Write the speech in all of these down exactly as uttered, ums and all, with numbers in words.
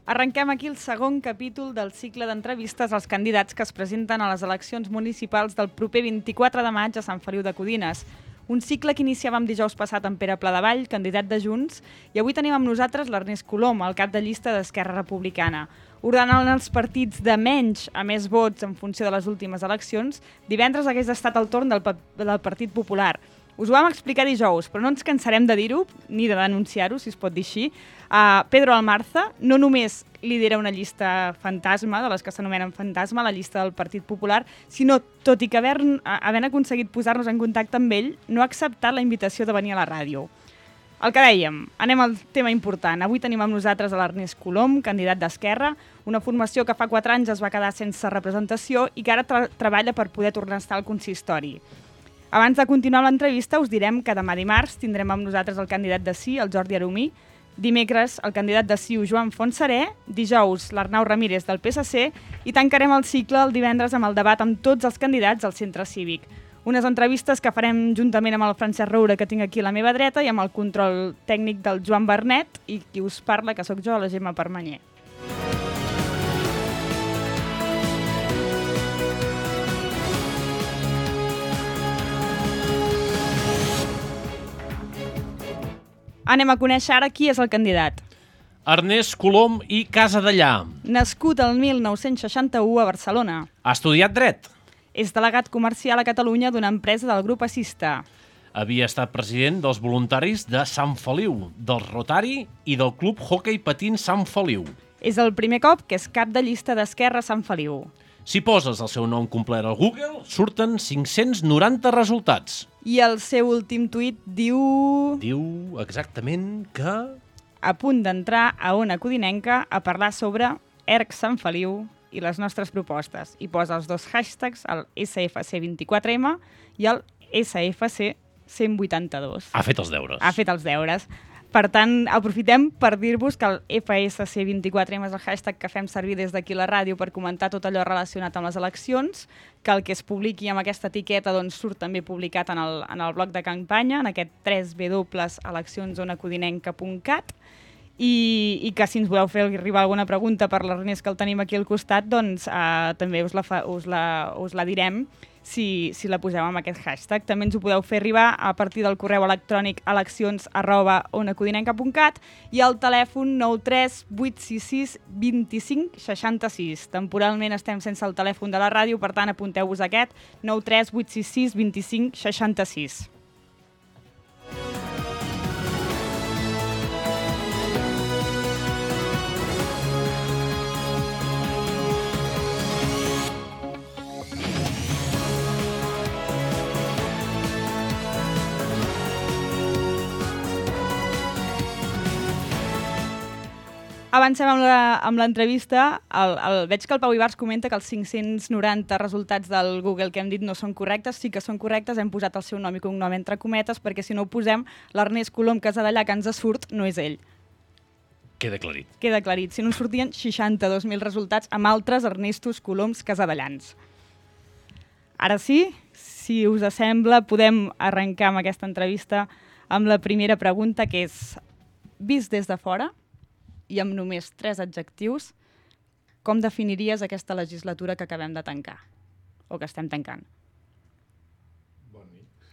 Arrenquem aquí el segon capítol del cicle d'entrevistes als candidats que es presenten a les eleccions municipals del proper vint-i-quatre de maig a Sant Feliu de Codines. Un cicle que iniciàvem dijous passat amb Pere Pladevall, candidat de Junts, i avui tenim amb nosaltres l'Ernest Colom, el cap de llista d'Esquerra Republicana. Ordenant els partits de menys a més vots en funció de les últimes eleccions, divendres hagués estat el torn del, del Partit Popular. Us ho vam explicar dijous, però no ens cansarem de dir-ho, ni de denunciar-ho, si es pot dir així. Uh, Pedro Almarza no només lidera una llista fantasma, de les que s'anomenen fantasma, la llista del Partit Popular, sinó, tot i que havent, havent aconseguit posar-nos en contacte amb ell, no ha acceptat la invitació de venir a la ràdio. El que dèiem, anem al tema important. Avui tenim amb nosaltres a l'Ernest Colom, candidat d'Esquerra, una formació que fa quatre anys es va quedar sense representació i que ara tra treballa per poder tornar a estar al consistori. Abans de continuar l'entrevista, us direm que demà dimarts tindrem amb nosaltres el candidat de Sí, el Jordi Aromí, dimecres el candidat de C I U, Joan Fontserè, dijous l'Arnau Ramírez del P S C i tancarem el cicle el divendres amb el debat amb tots els candidats al centre cívic. Unes entrevistes que farem juntament amb el Francesc Roura, que tinc aquí a la meva dreta, i amb el control tècnic del Joan Bernet, i qui us parla, que sóc jo, la Gemma Permanyer. Anem a conèixer ara qui és el candidat. Ernest Colom i Casadellà. Nascut el mil nou-cents seixanta-u a Barcelona. Ha estudiat dret. És delegat comercial a Catalunya d'una empresa del grup Assista. Havia estat president dels voluntaris de Sant Feliu, del Rotari i del Club Hockey Patins Sant Feliu. És el primer cop que és cap de llista d'Esquerra a Sant Feliu. Si poses el seu nom complet al Google, surten cinc-cents noranta resultats. I el seu últim tuit diu... Diu exactament que... A punt d'entrar a Ona Codinenca a parlar sobre E R C Sant Feliu i les nostres propostes. I posa els dos hashtags, el S F C vint-i-quatre M i el S F C cent vuitanta-dos. Ha fet els deures. Ha fet els deures. Per tant, aprofitem per dir-vos que el F S C vint-i-quatre M és el hashtag que fem servir des d'aquí a la ràdio per comentar tot allò relacionat amb les eleccions, que el que es publiqui amb aquesta etiqueta doncs, surt també publicat en el, en el bloc de campanya, en aquest w w w punt eleccions ona codinenca punt cat, i, i que si ens voleu fer arribar alguna pregunta per l'Ernest, que el tenim aquí al costat, doncs eh, també us la, fa, us la, us la direm si, si la poseu amb aquest hashtag. També ens ho podeu fer arribar a partir del correu electrònic eleccions arroba ona codinenca punt cat i al telèfon nou tres vuit sis sis dos cinc sis sis. Temporalment estem sense el telèfon de la ràdio, per tant apunteu-vos aquest, nou tres vuit sis sis dos cinc sis sis. Avancem amb l'entrevista. Veig que el Pau Ibars comenta que els cinc-cents noranta resultats del Google que hem dit no són correctes. Sí que són correctes, hem posat el seu nom i cognom entre cometes, perquè si no ho posem, l'Ernest Colom Casadellà que ens surt no és ell. Queda aclarit. Queda aclarit. Si no sortien seixanta-dos mil resultats amb altres Ernestos Coloms Casadellans. Ara sí, si us sembla, podem arrencar amb aquesta entrevista amb la primera pregunta, que és, vist des de fora, i amb només tres adjectius, com definiries aquesta legislatura que acabem de tancar? O que estem tancant? Bon nit.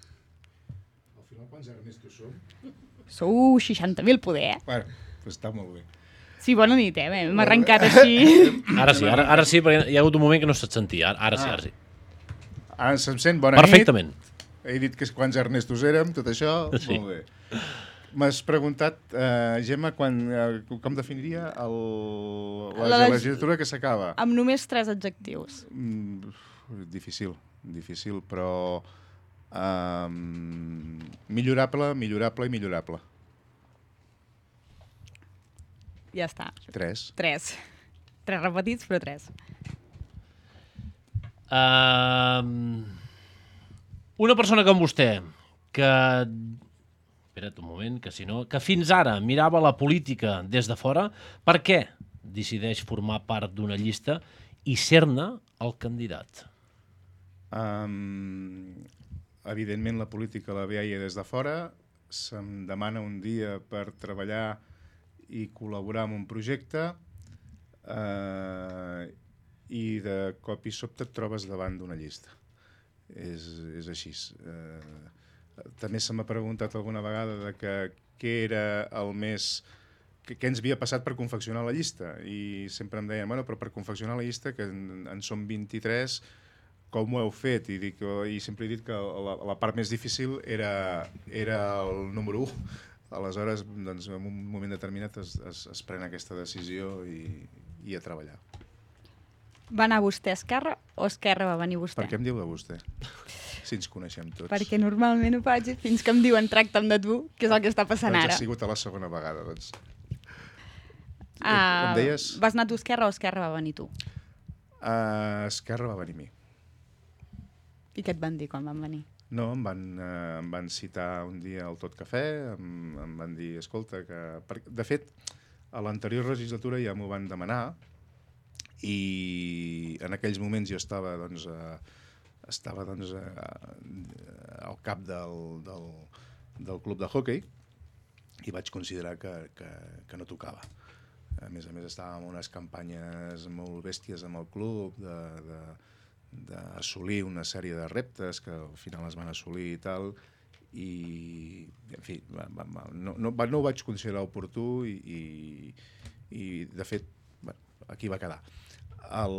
Al final, quants Ernestos som? Sou seixanta mil poder, eh? Bueno, doncs està molt bé. Sí, bona nit, eh? M'hem arrencat així. Ara sí, ara, ara sí, perquè hi ha hagut un moment que no se't sentia. Ara sí, ara sí. Ara se'm sent, bona Perfectament. nit. Perfectament. He dit que quants Ernestos érem, tot això, sí. Molt bé. M'has preguntat, eh, Gemma, quan, eh, com definiria el, la, la legislatura que s'acaba? Amb només tres adjectius. Mm, difícil, difícil, però eh, millorable, millorable i millorable. Ja està. Tres. Tres. Tres repetits, però tres. Uh, una persona com vostè, que... Espera't un moment, que si no... Que fins ara mirava la política des de fora, per què decideix formar part d'una llista i ser-ne el candidat? Um, evidentment la política la veia des de fora, se'm demana un dia per treballar i col·laborar en un projecte Uh, I de cop i sobte et trobes davant d'una llista. És, és així. Uh, també se m'ha preguntat alguna vegada de que què era el més... què ens havia passat per confeccionar la llista, i sempre em deien, bueno, però per confeccionar la llista, que en, en som vint-i-tres, com ho heu fet? I, dic, i sempre he dit que la, la part més difícil era, era el número u. Aleshores, doncs, en un moment determinat es, es, es pren aquesta decisió i, i a treballar. Va anar vostè a Esquerra o Esquerra va venir vostè? Per què em diu de vostè? Si ens coneixem tots. Perquè normalment ho faig fins que em diuen tracta'm de tu, que és el que està passant doncs ara. ha sigut a la segona vegada, doncs. Uh, em deies? Vas anar tu a Esquerra o Esquerra va venir tu? Uh, Esquerra va venir a mi. I què et van dir quan van venir? No, em van, eh, em van citar un dia al Tot Cafè, em, em van dir, escolta, que... Per... De fet, a l'anterior legislatura ja m'ho van demanar i en aquells moments jo estava, doncs, eh, estava doncs, eh, al cap del, del, del club de hoquei i vaig considerar que, que, que no tocava. A més a més, estàvem en unes campanyes molt bèsties amb el club, de, de, d'assolir una sèrie de reptes que al final es van assolir i tal, i, en fi, va, va, va, no, no, no ho vaig considerar oportú i, i, i de fet, bueno, aquí va quedar. El,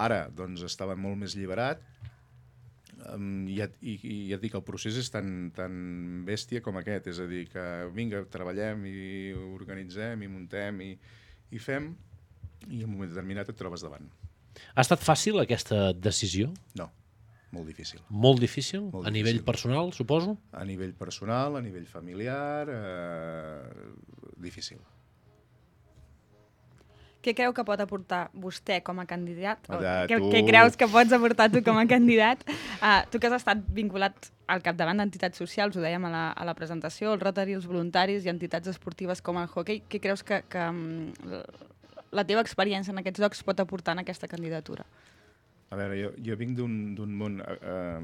ara, doncs, estava molt més alliberat, um, i, i, i ja et dic, el procés és tan, tan bèstia com aquest, és a dir, que vinga, treballem i organitzem i muntem i, i fem, i en un moment determinat et trobes davant. Ha estat fàcil aquesta decisió? No, molt difícil. Molt difícil? Molt a difícil. Nivell personal, suposo? A nivell personal, a nivell familiar, eh, difícil. Què creu que pot aportar vostè com a candidat? O De què, tu. què creus que pots aportar tu com a candidat? Uh, tu que has estat vinculat al capdavant d'entitats socials, ho dèiem a la, a la presentació, el Rotary, els voluntaris i entitats esportives com el hoquei, què creus que, que um, la teva experiència en aquests llocs pot aportar en aquesta candidatura? A veure, jo, jo vinc d'un món... Eh,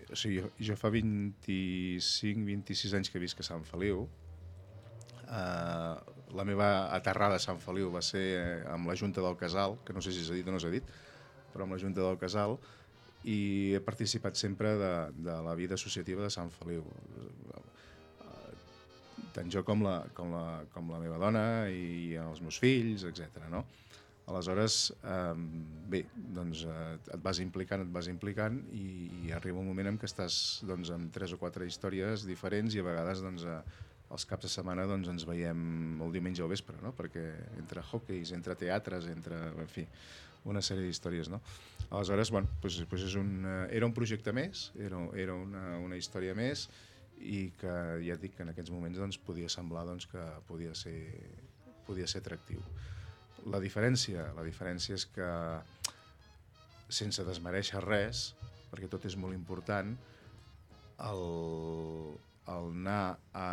o sigui, jo, jo fa vint-i-cinc vint-i-sis anys que visc a Sant Feliu. Eh, la meva aterrada a Sant Feliu va ser amb la Junta del Casal, que no sé si s'ha dit o no s'ha dit, però amb la Junta del Casal, i he participat sempre de, de la vida associativa de Sant Feliu. Tant jo com la, com la, com la meva dona i els meus fills, etcètera, no? Aleshores, eh, bé, doncs eh, et vas implicant, et vas implicant i, i arriba un moment en què estàs doncs, amb tres o quatre històries diferents i a vegades doncs, eh, els caps de setmana doncs, ens veiem el diumenge al vespre, no? Perquè entre hoqueis, entre teatres, entre, en fi, una sèrie d'històries, no? Aleshores, bueno, doncs, doncs és un, era un projecte més, era, era una, una història més i que ja et dic que en aquests moments doncs, podia semblar doncs, que podia ser, podia ser atractiu. La diferència, la diferència és que, sense desmereixer res, perquè tot és molt important, el, el anar a,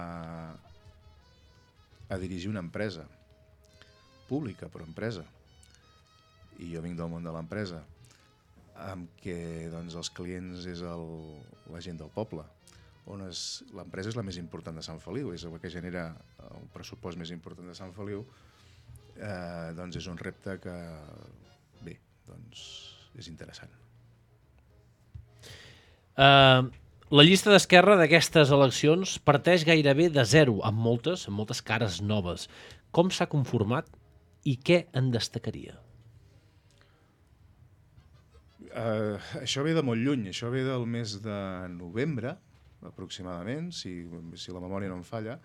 a dirigir una empresa, pública però empresa, i jo vinc del món de l'empresa, amb què doncs, els clients és el, la gent del poble, on l'empresa és la més important de Sant Feliu, és el que genera el pressupost més important de Sant Feliu, eh, doncs és un repte que, bé, doncs és interessant. Uh, la llista d'Esquerra d'aquestes eleccions parteix gairebé de zero, amb moltes, amb moltes cares noves. Com s'ha conformat i què en destacaria? Uh, això ve de molt lluny, això ve del mes de novembre, aproximadament, si, si la memòria no em falla,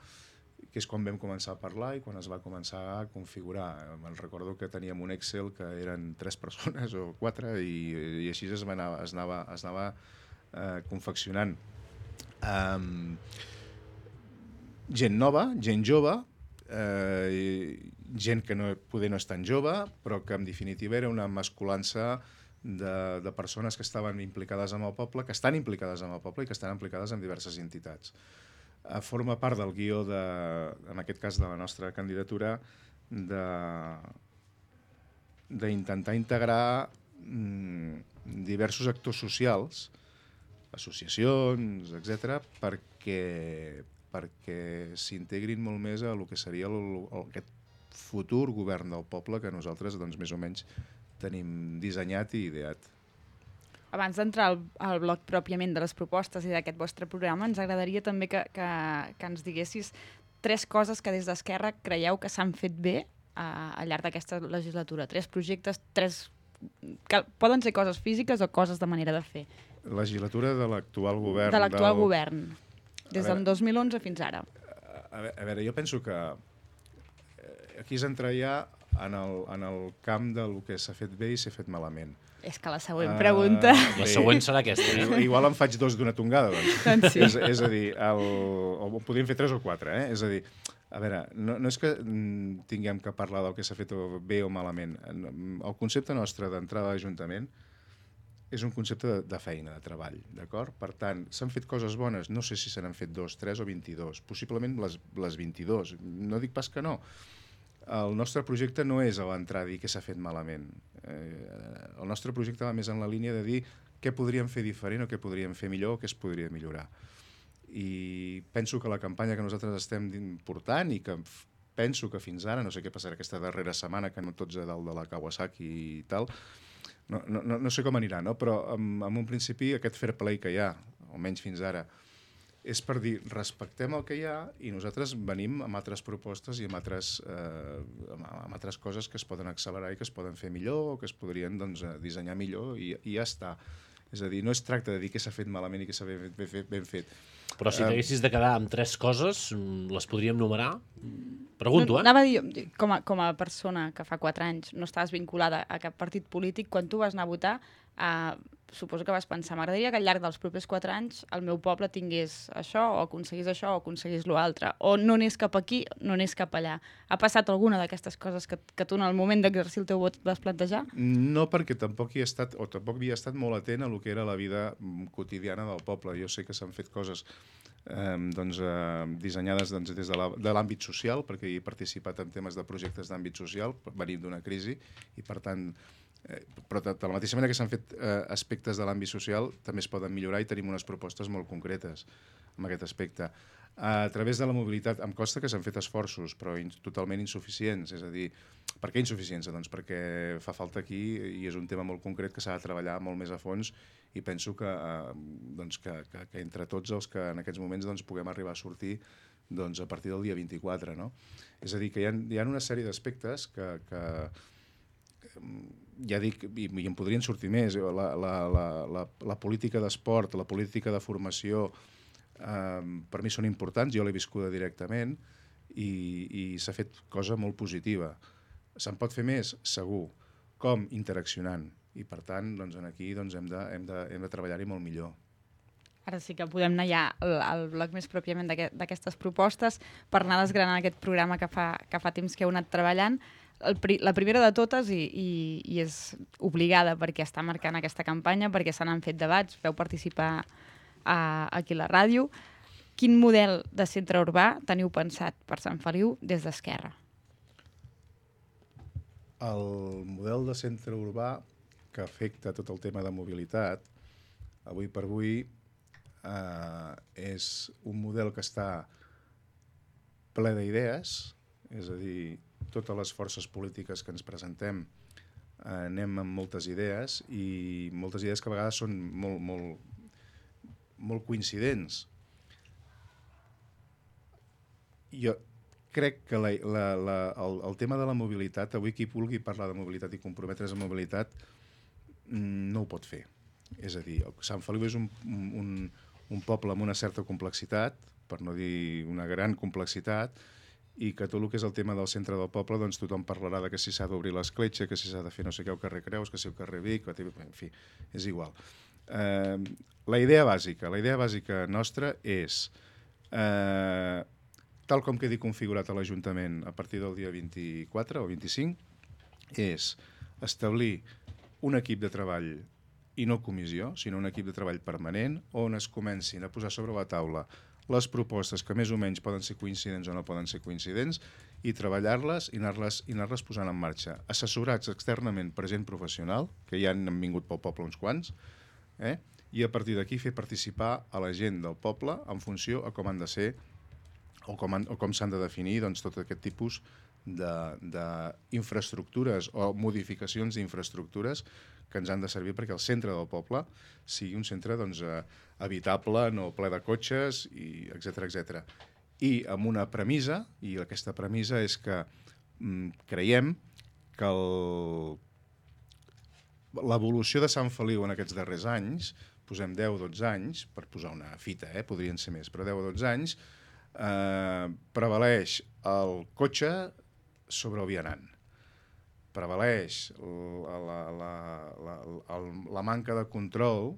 que és quan vam començar a parlar i quan es va començar a configurar. Me'n recordo que teníem un Excel que eren tres persones o quatre i, i així es anava, es anava, es anava eh, confeccionant. Um, gent nova, gent jove, eh, gent que no, poder no és tan jove, però que en definitiva era una mescolança De, de persones que estaven implicades amb el poble, que estan implicades amb el poble i que estan implicades en diverses entitats. Eh, forma part del guió, de, en aquest cas de la nostra candidatura, d'intentar integrar mm, diversos actors socials, associacions, etcètera, perquè, perquè s'integrin molt més a el que seria el, el, aquest futur govern del poble que nosaltres doncs, més o menys tenim dissenyat i ideat. Abans d'entrar al, al bloc pròpiament de les propostes i d'aquest vostre programa, ens agradaria també que, que, que ens diguessis tres coses que des d'Esquerra creieu que s'han fet bé a, al llarg d'aquesta legislatura. Tres projectes, tres... que poden ser coses físiques o coses de manera de fer. Legislatura de l'actual govern. De l'actual del... govern, des del dos mil onze fins ara. A veure, a veure, jo penso que aquí és entrar ja en el, en el camp del que s'ha fet bé i s'ha fet malament. És que la següent pregunta... Uh, la següent serà aquesta, eh? Igual en faig dos d'una tongada, doncs. doncs sí. és, és a dir, el, o podríem fer tres o quatre, eh? És a dir, a veure, no, no és que tinguem que parlar del que s'ha fet bé o malament. El concepte nostre d'entrada a l'Ajuntament és un concepte de, de feina, de treball, d'acord? Per tant, s'han fet coses bones, no sé si se n'han fet dos, tres o vint-i-dos, possiblement les, les vint-i-dos, no dic pas que no. El nostre projecte no és a l'entrar a dir què s'ha fet malament. Eh, el nostre projecte va més en la línia de dir què podríem fer diferent o què podríem fer millor o què es podria millorar. I penso que la campanya que nosaltres estem portant i que penso que fins ara, no sé què passarà aquesta darrera setmana, que no tots a dalt de la Kawasaki i tal, no, no, no sé com anirà, no? Però en, en un principi aquest fair play que hi ha, almenys fins ara, és per dir, respectem el que hi ha i nosaltres venim amb altres propostes i amb altres, eh, amb altres coses que es poden accelerar i que es poden fer millor o que es podrien doncs, dissenyar millor i, i ja està. És a dir, no es tracta de dir què s'ha fet malament i què s'ha ben, ben, fet, ben fet. Però si t'haguessis de quedar amb tres coses, les podríem numerar? Pregunto, no, eh? Anava a dir, com a, com a persona que fa quatre anys no estaves vinculada a cap partit polític, quan tu vas anar a votar, eh, suposo que vas pensar, m'agradaria que al llarg dels propers quatre anys el meu poble tingués això, o aconseguís això, o aconseguís l'altre, o no anés cap aquí, no anés cap allà. Ha passat alguna d'aquestes coses que, que tu en el moment d'exercir el teu vot vas plantejar? No, perquè tampoc hi he estat, o tampoc havia estat molt atent a lo que era la vida quotidiana del poble. Jo sé que s'han fet coses eh, doncs, eh, dissenyades doncs, des de l'àmbit social, perquè he participat en temes de projectes d'àmbit social, venim d'una crisi, i per tant, eh, però de, de la mateixa manera que s'han fet eh, aspectes de l'àmbit social, també es poden millorar i tenim unes propostes molt concretes en aquest aspecte. A través de la mobilitat, em consta que s'han fet esforços, però in, totalment insuficients. És a dir, per què insuficients? Doncs perquè fa falta aquí, i és un tema molt concret que s'ha de treballar molt més a fons, i penso que, eh, doncs que, que, que entre tots els que en aquests moments doncs, puguem arribar a sortir doncs, a partir del dia vint-i-quatre. No? És a dir, que hi ha, hi ha una sèrie d'aspectes que, que ja dic, i, i en podrien sortir més, la, la, la, la, la política d'esport, la política de formació, Um, per mi són importants, jo l'he viscuda directament i, i s'ha fet cosa molt positiva. Se'n pot fer més? Segur. Com? Interaccionant. I per tant, doncs, aquí doncs, hem de, hem de, hem de treballar-hi molt millor. Ara sí que podem anar ja al, al bloc més pròpiament d'aquestes propostes per anar desgranant aquest programa que fa, que fa temps que heu anat treballant. El, la primera de totes, i, i, i és obligada perquè està marcant aquesta campanya, perquè se n'han fet debats, veu participar A, aquí a la ràdio. Quin model de centre urbà teniu pensat per Sant Feliu des d'Esquerra? El model de centre urbà que afecta tot el tema de mobilitat, avui per avui, eh, és un model que està ple d'idees, és a dir, totes les forces polítiques que ens presentem eh, anem amb moltes idees i moltes idees que a vegades són molt, molt molt coincidents. Jo crec que la, la, la, el, el tema de la mobilitat, avui qui vulgui parlar de mobilitat i comprometre's amb mobilitat no ho pot fer. És a dir, Sant Feliu és un, un, un poble amb una certa complexitat, per no dir una gran complexitat, i que tot el que és el tema del centre del poble, doncs tothom parlarà de que si s'ha d'obrir l'escletxa, que si s'ha de fer no sé què al carrer Creus, que si al carrer Vic, en fi, és igual. Eh, la idea bàsica, la idea bàsica nostra és, eh, tal com quedi configurat a l'Ajuntament a partir del dia vint-i-quatre o vint-i-cinc, és establir un equip de treball i no comissió, sinó un equip de treball permanent on es comencin a posar sobre la taula les propostes que més o menys poden ser coincidents o no poden ser coincidents i treballar-les i anar-les i anar-les posant en marxa. Assessorats externament per gent professional, que ja han vingut pel poble uns quants, eh? I a partir d'aquí fer participar a la gent del poble en funció a com han de ser o com, han, o com s'han de definir doncs, tot aquest tipus d'infraestructures o modificacions d'infraestructures que ens han de servir perquè el centre del poble sigui un centre doncs, habitable, no ple de cotxes, i etcètera etcètera. I amb una premissa, i aquesta premissa és que mm, creiem que el... l'evolució de Sant Feliu en aquests darrers anys, posem deu o dotze anys, per posar una fita, eh? Podrien ser més, però deu o dotze anys, eh, prevaleix el cotxe sobre el vianant. Prevaleix la, la, la, la, la, la manca de control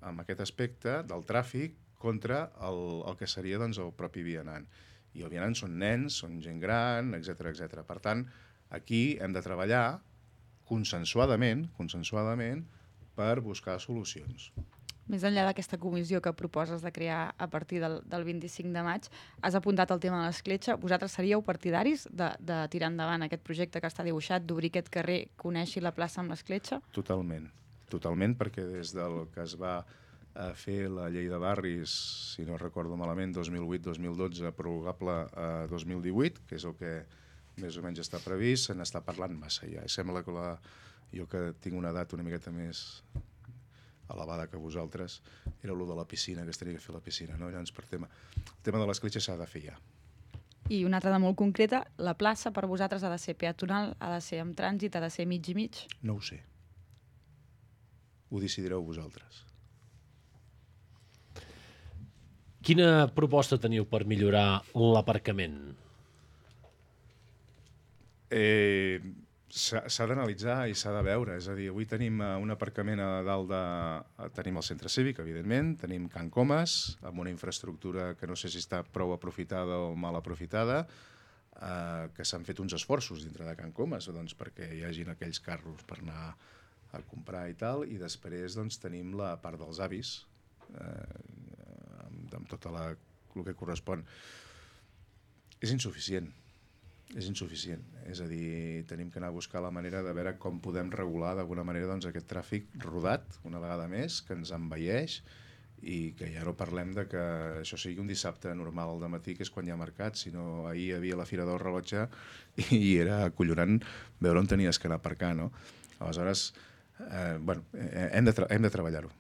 en aquest aspecte del tràfic contra el, el que seria doncs, el propi vianant. I el vianant són nens, són gent gran, etcètera etcètera. Per tant, aquí hem de treballar consensuadament, consensuadament per buscar solucions. Més enllà d'aquesta comissió que proposes de crear a partir del, del vint-i-cinc de maig, has apuntat el tema de l'escletxa. Vosaltres seríeu partidaris de, de tirar endavant aquest projecte que està dibuixat, d'obrir aquest carrer que uneixi la plaça amb l'escletxa? Totalment, totalment, perquè des del que es va a fer la llei de barris, si no recordo malament, dos mil vuit dos mil dotze, prorrogable a dos mil divuit, que és el que més o menys està previst, se n'està parlant massa ja. I sembla que la, jo que tinc una edat una miqueta més elevada que vosaltres, era allò de la piscina, que es tenia que fer la piscina, no? Llavors, per tema, el tema de l'escletxa s'ha de fer ja. I una altra de molt concreta, la plaça per vosaltres ha de ser peatonal, ha de ser amb trànsit, ha de ser mig i mig? No ho sé. Ho decidireu vosaltres. Quina proposta teniu per millorar l'aparcament? Eh, s'ha d'analitzar i s'ha de veure. És a dir, avui tenim un aparcament a dalt de... Tenim el centre cívic, evidentment, tenim Can Comas, amb una infraestructura que no sé si està prou aprofitada o mal aprofitada, eh, que s'han fet uns esforços dintre de Can Comas doncs, perquè hi hagin aquells carros per anar a comprar i tal, i després doncs, tenim la part dels avis, eh, amb, amb tot la, el que correspon. És insuficient. És insuficient. És a dir, tenim que anar a buscar la manera de veure com podem regular d'alguna manera doncs, aquest tràfic rodat, una vegada més, que ens envelleix, i que ja no parlem de que això sigui un dissabte normal al dematí, que és quan hi ha mercat, sinó ahir hi havia la Fira del Rellotge i era acollonant veure on tenies que anar a aparcar, no? Aleshores, eh, bueno, hem de, tra hem de treballar-ho.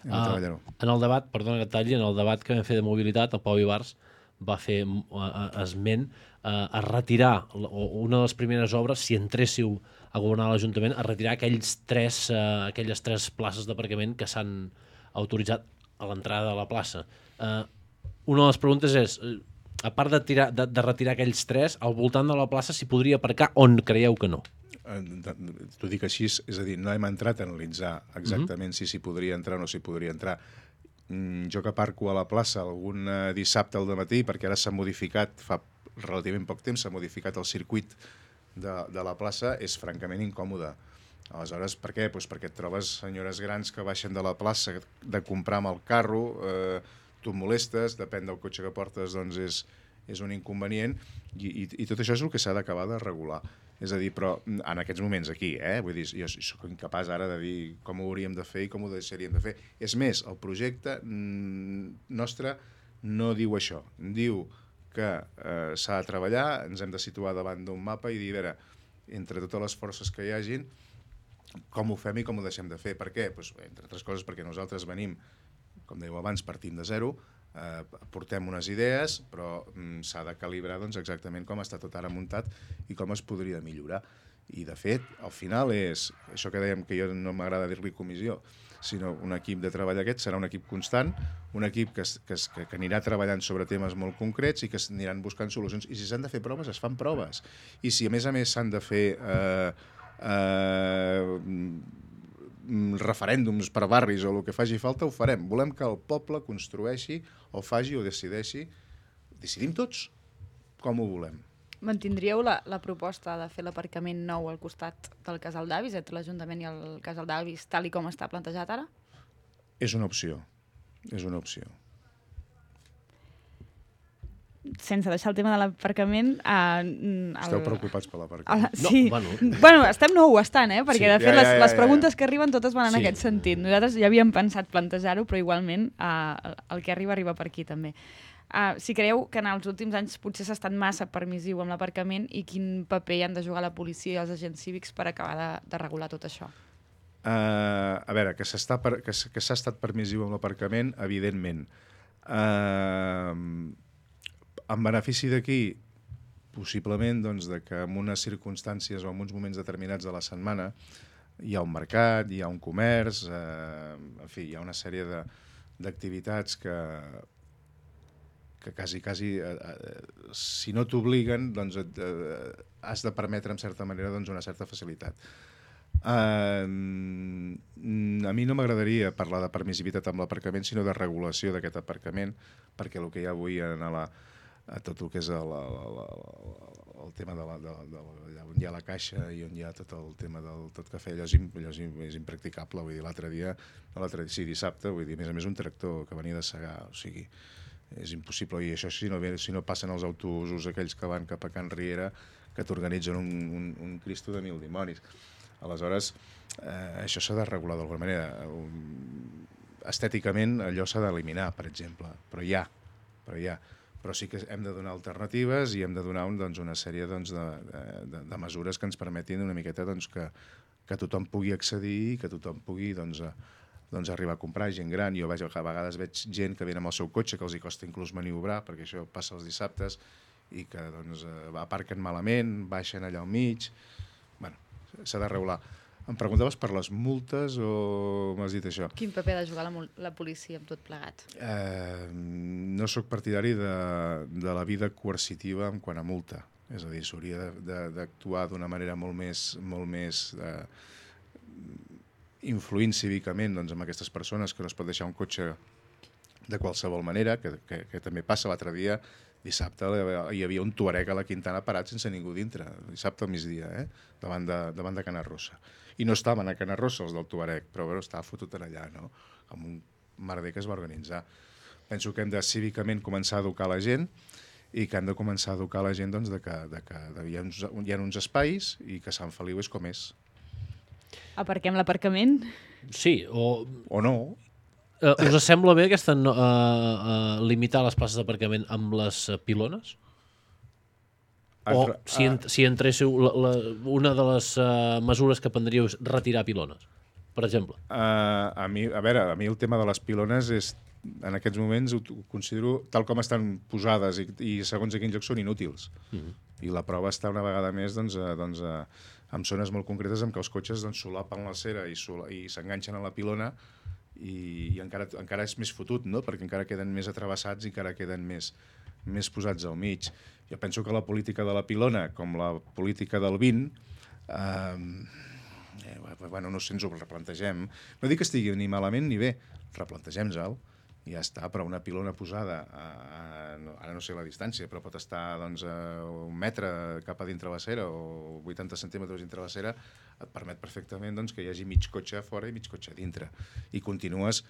Hem de ah, treballar-ho. En el debat, perdona que et talli, en el debat que vam fer de mobilitat, el Pau Ibars va fer esment a retirar una de les primeres obres, si entréssiu a governar l'Ajuntament, a retirar aquells tres, aquelles tres places d'aparcament que s'han autoritzat a l'entrada de la plaça. Una de les preguntes és, a part de, tirar, de, de retirar aquells tres, al voltant de la plaça s'hi podria aparcar on creieu que no? T'ho dic així, és a dir, no hem entrat a analitzar exactament uh-huh. si s'hi podria entrar o no s'hi podria entrar. Jo que aparco a la plaça algun dissabte al dematí, perquè ara s'ha modificat, fa relativament poc temps, s'ha modificat el circuit de, de la plaça, és francament incòmode. Aleshores, per què? Pues perquè et trobes senyores grans que baixen de la plaça de comprar amb el carro, eh, tu et molestes, depèn del cotxe que portes, doncs és, és un inconvenient, i, i, i tot això és el que s'ha d'acabar de regular. És a dir, però en aquests moments aquí, eh, vull dir, jo soc incapaç ara de dir com ho hauríem de fer i com ho deixaríem de fer. És més, el projecte nostre no diu això. Diu que eh, s'ha de treballar, ens hem de situar davant d'un mapa i dir, a veure, entre totes les forces que hi hagin, com ho fem i com ho deixem de fer. Per què? Pues, entre altres coses perquè nosaltres venim, com dèieu abans, partint de zero, eh, portem unes idees, però mm, s'ha de calibrar doncs, exactament com està tot ara muntat i com es podria millorar. I, de fet, al final és, això que dèiem que jo no m'agrada dir-li comissió, sinó un equip de treball aquest serà un equip constant, un equip que, que, que, que anirà treballant sobre temes molt concrets i que aniran buscant solucions. I si s'han de fer proves, es fan proves. I si a més a més s'han de fer eh, eh, referèndums per barris o el que faci falta, ho farem. Volem que el poble construeixi o faci o decideixi. Decidim tots com ho volem. Mantindríeu la, la proposta de fer l'aparcament nou al costat del Casal d'Avis, entre l'Ajuntament i el Casal d'Avis, tal i com està plantejat ara? És una opció. És una opció. sense deixar el tema de l'aparcament... Uh, Esteu preocupats per l'aparcament? Uh, sí. No, bueno. bueno, estem no ho estan, eh? Perquè, sí, de fet, ja, ja, ja, les, les preguntes ja, ja. que arriben totes van en sí. aquest sentit. Nosaltres ja havíem pensat plantejar-ho, però igualment uh, el que arriba, arriba per aquí, també. Uh, si creieu que en els últims anys potser s'ha estat massa permissiu amb l'aparcament i quin paper hi han de jugar la policia i els agents cívics per acabar de, de regular tot això? Uh, a veure, que s'ha per, que que s'ha estat permissiu amb l'aparcament, evidentment. Uh, en benefici d'aquí, possiblement doncs, de que en unes circumstàncies o en uns moments determinats de la setmana hi ha un mercat, hi ha un comerç, uh, en fi, hi ha una sèrie d'activitats que, que quasi, quasi, uh, uh, si no t'obliguen, doncs et, uh, has de permetre, en certa manera, doncs, una certa facilitat. Uh, a mi no m'agradaria parlar de permissivitat amb l'aparcament, sinó de regulació d'aquest aparcament, perquè el que hi ha avui en la, a tot el que és el, el, el, el tema de la, de, de, de, on hi ha la caixa i on hi ha tot el tema del tot cafè, allò és, allò és, és impracticable. Vull dir, l'altre dia, no l'altre dia, sí, dissabte, vull dir, a més a més un tractor que venia de segar, o sigui, és impossible. I això si no, si no passen els autobusos aquells que van cap a Can Riera, que t'organitzen un, un, un Cristo de mil dimonis. Aleshores, eh, això s'ha de regular d'alguna manera. Estèticament, allò s'ha d'eliminar, per exemple, però hi ha, però hi ha. Però sí que hem de donar alternatives i hem de donar un, doncs, una sèrie doncs, de, de, de mesures que ens permetin una miqueta doncs, que, que tothom pugui accedir i que tothom pugui doncs, a, doncs, arribar a comprar, gent gran. Jo veig, a vegades veig gent que ve amb el seu cotxe, que els hi costa inclús maniobrar, perquè això passa els dissabtes, i que doncs, aparquen malament, baixen allà al mig. Bueno, s'ha de regular. Em preguntaves per les multes o m'has dit això? Quin paper ha de jugar la, la policia amb tot plegat? Eh, no sóc partidari de, de la vida coercitiva en quant a multa. És a dir, s'hauria d'actuar d'una manera molt més, molt més eh, influint cívicament doncs, amb aquestes persones que no es pot deixar un cotxe de qualsevol manera, que, que, que també passa l'altre dia. Dissabte hi havia un tuareg a la Quintana parat sense ningú dintre, dissabte al migdia, eh? davant, de, davant de Cana Rossa. I no estaven a Cana Rossa els del tuareg, però bueno, estava fotut allà, no? Amb un merder que es va organitzar. Penso que hem de cívicament començar a educar la gent i que hem de començar a educar la gent doncs, de que, de que de, hi, ha uns, hi ha uns espais i que Sant Feliu és com és. Aparquem l'aparcament? Sí, o... O no. Uh, us sembla bé aquesta no, uh, uh, limitar les places d'aparcament amb les uh, pilones? O Altra, si, en, si entréssiu, la, la, una de les uh, mesures que prendríeu és retirar pilones, per exemple? Uh, a, mi, a veure, a mi el tema de les pilones és, en aquests moments ho, ho considero, tal com estan posades i, i segons a quins llocs són inútils. Mm-hmm. I la prova està una vegada més doncs, uh, doncs, uh, en zones molt concretes en què els cotxes doncs, solapen la cera i s'enganxen a la pilona i, i encara, encara és més fotut, no? Perquè encara queden més atravessats i encara queden més, més posats al mig. Jo penso que la política de la pilona, com la política del vint, eh, eh, bueno, no sé, ens ho replantegem. No dic que estigui ni malament ni bé, replantegem-se'l, i ja està, però una pilona posada, a, a, ara no sé la distància, però pot estar doncs, a un metre cap a dintre la cera o vuitanta centímetres dintre la cera, et permet perfectament doncs, que hi hagi mig cotxe a fora i mig cotxe a dintre. I continues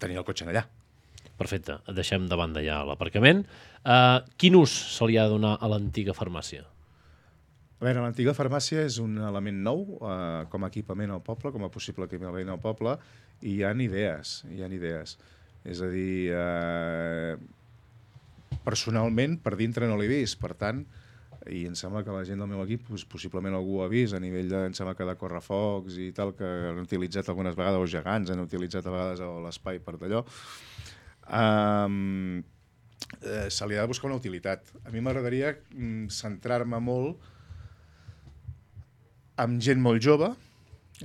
tenint el cotxe allà. Perfecte, deixem de banda ja l'aparcament. Uh, quin ús se li ha de donar a l'antiga farmàcia? A veure, l'antiga farmàcia és un element nou eh, com a equipament al poble, com a possible equipament al poble, i hi ha idees, hi ha idees. És a dir, eh, personalment, per dintre no l'he vist, per tant, i em sembla que la gent del meu equip, doncs, possiblement algú ho ha vist, a nivell de, em sembla que de correfocs i tal, que han utilitzat algunes vegades, els gegants han utilitzat a vegades l'espai per d'allò. Um, eh, se li ha de buscar una utilitat. A mi m'agradaria mm, centrar-me molt amb gent molt jove,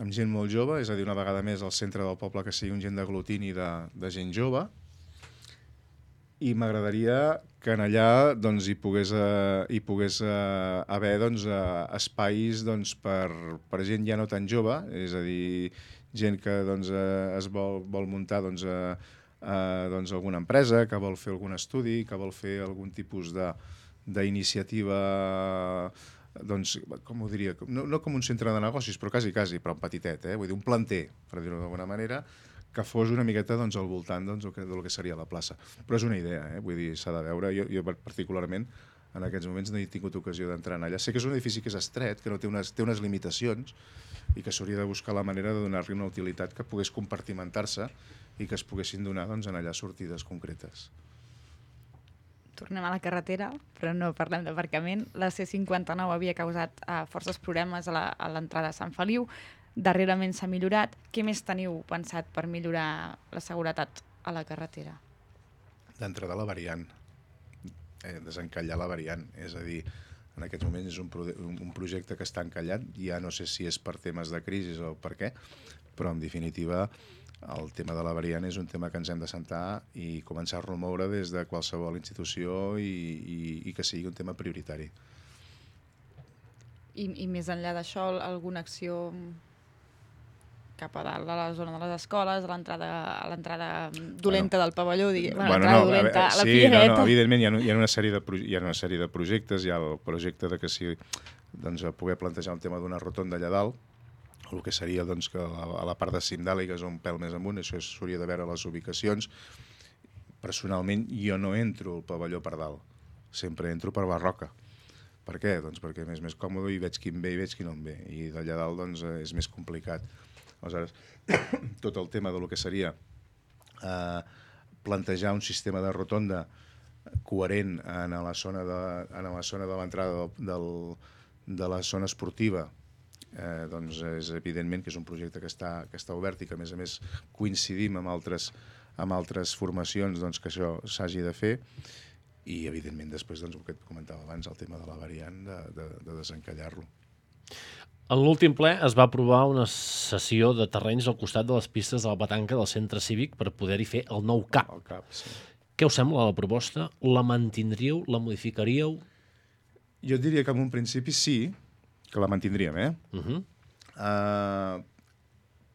amb gent molt jove, és a dir, una vegada més al centre del poble que sigui un gent d'aglutini de, de gent jove, i m'agradaria que en allà doncs, hi pogués, eh, hi pogués eh, haver doncs, eh, espais doncs, per, per gent ja no tan jove, és a dir, gent que doncs, eh, es vol, vol muntar doncs, eh, eh, doncs, alguna empresa, que vol fer algun estudi, que vol fer algun tipus d'iniciativa, doncs, com ho diria, no, no com un centre de negocis, però quasi, quasi, però en petitet, eh? Vull dir, un planter, per dir-ho d'alguna manera, que fos una miqueta doncs, al voltant doncs, del, que, del que seria la plaça. Però és una idea, eh? Vull dir, s'ha de veure. Jo, jo particularment en aquests moments no he tingut ocasió d'entrar allà. Sé que és un edifici que és estret, que no té unes, té unes limitacions i que s'hauria de buscar la manera de donar-li una utilitat que pogués compartimentar-se i que es poguessin donar doncs, en allà sortides concretes. Tornem a la carretera, però no parlem d'aparcament. La C cinquanta-nou havia causat uh, forces problemes a l'entrada a Sant Feliu. Darrerament s'ha millorat. Què més teniu pensat per millorar la seguretat a la carretera? D'entrada la variant, eh, desencallar la variant, és a dir, en aquests moments és un, pro un projecte que està encallat, ja no sé si és per temes de crisi o per què, però en definitiva el tema de la variant és un tema que ens hem de sentar i començar a remoure des de qualsevol institució i, i, i que sigui un tema prioritari. I, i més enllà d'això, alguna acció cap a dalt, a la zona de les escoles, a l'entrada dolenta bueno, del pavelló, digui, bueno, bueno, l'entrada no, dolenta, a, a la sí, Piereta. No, no, evidentment hi ha, hi, ha una sèrie de, hi ha una sèrie de projectes, hi ha el projecte de que si doncs, poder plantejar un tema d'una rotonda allà dalt, el que seria doncs, que a, a la part de Cimdàliga és un pèl més amunt, això s'hauria de veure les ubicacions. Personalment jo no entro al pavelló per dalt, sempre entro per la roca. Per què? Doncs perquè és més còmode i veig qui em ve i veig qui no em ve, i d'allà dalt doncs, és més complicat. Aleshores, tot el tema del que seria eh, plantejar un sistema de rotonda coherent en la zona de, en la zona de l'entrada del, de la zona esportiva, eh, doncs és evidentment que és un projecte que està, que està obert i que a més a més coincidim amb altres, amb altres formacions doncs, que això s'hagi de fer, i evidentment després doncs, el que et comentava abans, el tema de la variant, de, de, de desencallar-lo. En l'últim ple es va aprovar una cessió de terrenys al costat de les pistes de la petanca del centre cívic per poder-hi fer el nou C A P. El C A P, sí. Què us sembla la proposta? La mantindríeu? La modificaríeu? Jo et diria que en un principi sí, que la mantindríem, eh? Uh -huh. uh,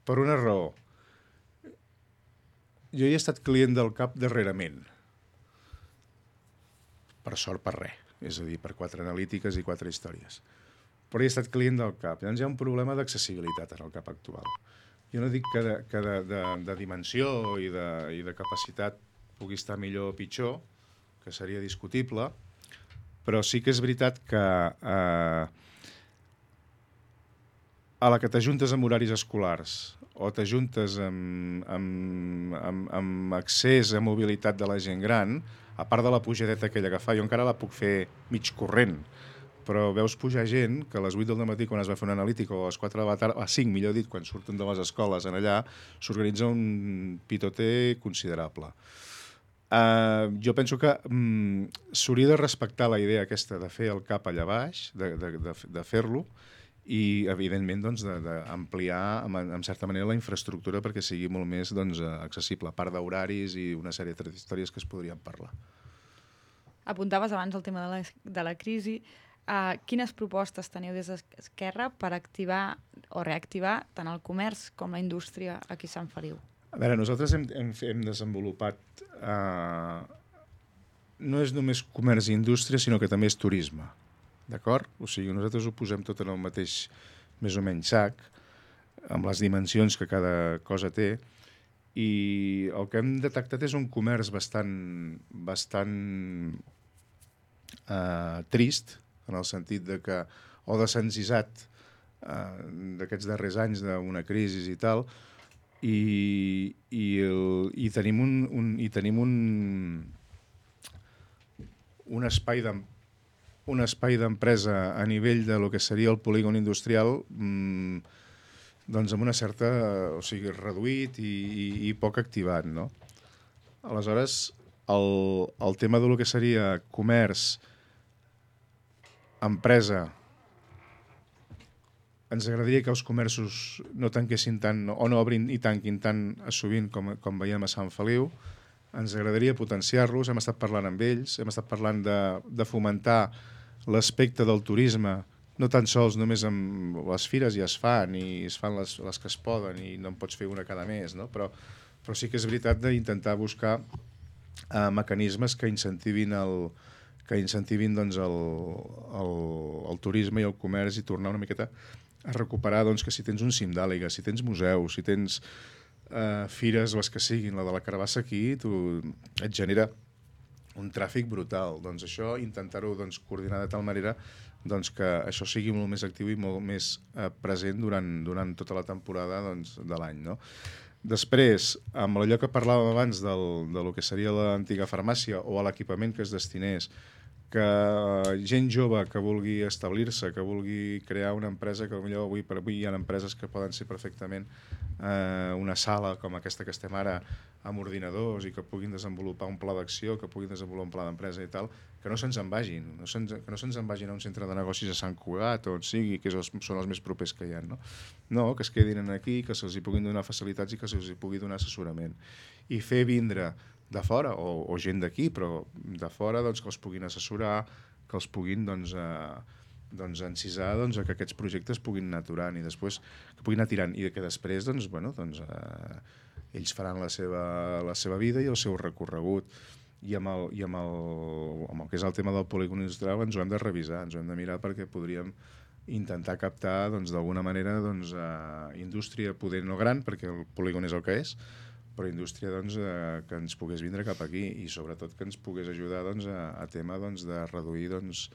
per una raó. Jo he estat client del C A P darrerament. Per sort, per res. És a dir, per quatre analítiques i quatre històries. Però he estat client del C A P. Llavors hi ha un problema d'accessibilitat en el C A P actual. Jo no dic que de, que de, de, de dimensió i de, i de capacitat pugui estar millor o pitjor, que seria discutible, però sí que és veritat que eh, a la que t'ajuntes amb horaris escolars o t'ajuntes amb, amb, amb, amb accés a mobilitat de la gent gran, a part de la pujadeta aquella que fa, jo encara la puc fer mig corrent, però veus pujar gent que a les vuit del matí, quan es va fer una analítica, o a les quatre de la tarda, a cinc, millor dit, quan surten de les escoles en allà, s'organitza un pitoter considerable. Uh, jo penso que um, s'hauria de respectar la idea aquesta de fer el C A P allà baix, de, de, de, de fer-lo, i evidentment doncs, d'ampliar en, en certa manera la infraestructura perquè sigui molt més doncs, accessible, a part d'horaris i una sèrie de històries que es podrien parlar. Apuntaves abans el tema de la, de la crisi. Uh, quines propostes teniu des d'Esquerra per activar o reactivar tant el comerç com la indústria aquí a Sant Feliu? A veure, nosaltres hem, hem, hem desenvolupat... Uh, no és només comerç i indústria, sinó que també és turisme. D'acord? O sigui, nosaltres ho posem tot en el mateix, més o menys, sac, amb les dimensions que cada cosa té, i el que hem detectat és un comerç bastant, bastant uh, trist, en el sentit de que, o desencisat uh, d'aquests darrers anys d'una crisi i tal, i, i, el, i tenim un, un, i tenim un, un espai de, un espai d'empresa a nivell de lo que seria el polígon industrial mmm, doncs amb una certa, o sigui, reduït i, i, i poc activat, no? Aleshores, el, el tema de lo que seria comerç, empresa, ens agradaria que els comerços no tanquessin tant o no obrin i tanquin tan sovint com, com veiem a Sant Feliu. Ens agradaria potenciar-los, hem estat parlant amb ells, hem estat parlant de, de fomentar l'aspecte del turisme, no tan sols només amb les fires ja es fan i es fan les, les que es poden i no en pots fer una cada mes, no? però, però sí que és veritat d'intentar buscar eh, mecanismes que incentivin el, que incentivin doncs, el, el, el turisme i el comerç i tornar una miqueta a recuperar doncs, que si tens un Cimdàliga, si tens museus, si tens uh, fires, les que siguin, la de la Carabassa aquí, tu, et genera un tràfic brutal. Doncs això, intentar-ho doncs, coordinar de tal manera doncs, que això sigui molt més actiu i molt més uh, present durant, durant tota la temporada doncs, de l'any, no? Després, amb allò que parlàvem abans del, de lo que seria l'antiga farmàcia o a l'equipament que es destinés, que gent jove que vulgui establir-se, que vulgui crear una empresa, que potser avui per avui hi ha empreses que poden ser perfectament eh, una sala com aquesta que estem ara amb ordinadors i que puguin desenvolupar un pla d'acció, que puguin desenvolupar un pla d'empresa i tal, que no se'ns en vagin, no se'ns, que no se'ns en vagin a un centre de negocis a Sant Cugat o on sigui, que és, són els més propers que hi ha, no? No, que es quedin aquí, que se'ls hi puguin donar facilitats i que se'ls hi pugui donar assessorament. I fer vindre de fora, o, o gent d'aquí, però de fora doncs, que els puguin assessorar, que els puguin doncs, eh, doncs, encisar doncs, que aquests projectes puguin anar aturant i després que puguin anar tirant i que després doncs, bueno, doncs, eh, ells faran la seva, la seva vida i el seu recorregut. I amb el, i amb, el, amb el que és el tema del polígon industrial ens ho hem de revisar, ens ho hem de mirar perquè podríem intentar captar doncs, d'alguna manera doncs, eh, indústria poder no gran, perquè el polígon és el que és, però indústria doncs, eh, que ens pogués vindre cap aquí i sobretot que ens pogués ajudar doncs, a, a tema doncs, de reduir doncs,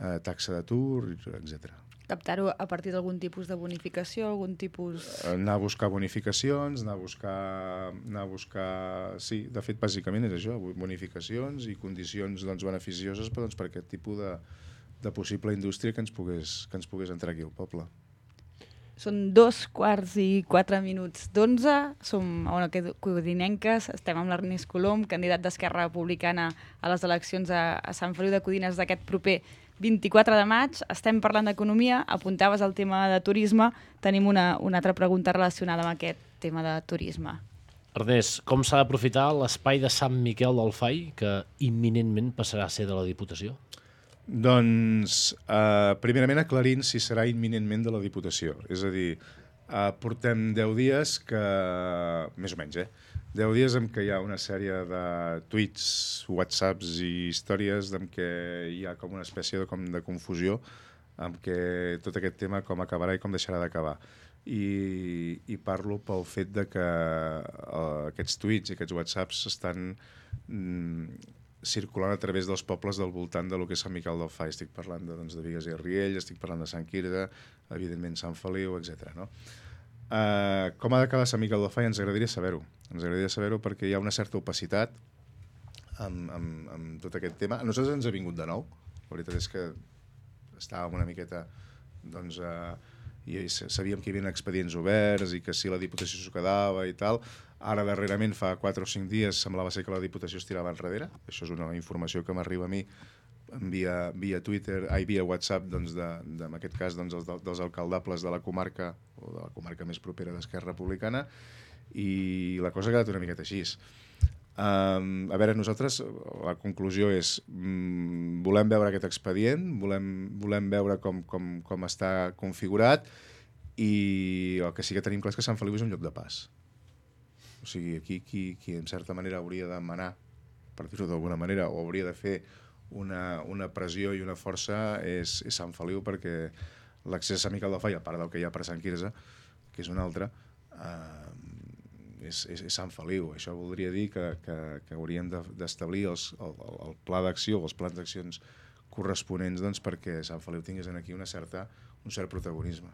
eh, taxa d'atur, etcètera. Captar-ho a partir d'algun tipus de bonificació, algun tipus... Anar a buscar bonificacions, anar a buscar... Anar a buscar... Sí, de fet, bàsicament és això, bonificacions i condicions doncs, beneficioses per, doncs, per aquest tipus de, de possible indústria que ens, pogués, que ens pogués entrar aquí al poble. Són dos quarts i quatre minuts d'onze, som a una codinenques, estem amb l'Ernest Colom, candidat d'Esquerra Republicana a les eleccions a, a Sant Feliu de Codines d'aquest proper vint-i-quatre de maig. Estem parlant d'economia, apuntaves al tema de turisme, tenim una, una altra pregunta relacionada amb aquest tema de turisme. Ernest, com s'ha d'aprofitar l'espai de Sant Miquel del Fai, que imminentment passarà a ser de la Diputació? Doncs, eh, primerament aclarint si serà imminentment de la Diputació. És a dir, eh, portem deu dies que... Més o menys, eh? deu dies en què hi ha una sèrie de tuits, whatsapps i històries en què hi ha com una espècie de, com de confusió amb què tot aquest tema com acabarà i com deixarà d'acabar. I, I parlo pel fet de que eh, aquests tuits i aquests whatsapps estan... Mm, circulant a través dels pobles del voltant de lo que és Sant Miquel del Fai. Estic parlant de, doncs, de Bigues i Riells, estic parlant de Sant Quirze, evidentment Sant Feliu, etcètera. No? Uh, com ha d'acabar Sant Miquel del Fai? Ens agradaria saber-ho. Ens agradaria saber-ho perquè hi ha una certa opacitat amb, amb, amb tot aquest tema. A nosaltres ens ha vingut de nou. La veritat és que estàvem una miqueta... Doncs, uh, i sabíem que hi havia expedients oberts i que si la Diputació s'ho quedava i tal. Ara, darrerament, fa quatre o cinc dies, semblava ser que la Diputació es tirava enrere. Això és una informació que m'arriba a mi via, via Twitter, ai, via WhatsApp, doncs de, de, en aquest cas, doncs, dels, dels alcaldables de la comarca, o de la comarca més propera d'Esquerra Republicana, i la cosa ha quedat una miqueta així. Um, a veure, nosaltres, la conclusió és, um, volem veure aquest expedient, volem, volem veure com, com, com està configurat, i el que sí que tenim clar és que Sant Feliu és un lloc de pas. O sigui, aquí qui, qui en certa manera hauria de manar, per dir-ho d'alguna manera, o hauria de fer una, una pressió i una força és, és Sant Feliu, perquè l'accés a Sant Miquel del Fai, a part del que hi ha per Sant Quirze, que és un altre, eh, és, és, és Sant Feliu. Això voldria dir que, que, que hauríem d'establir els, el, el pla d'acció, els plans d'accions corresponents doncs, perquè Sant Feliu tingués aquí una certa, un cert protagonisme.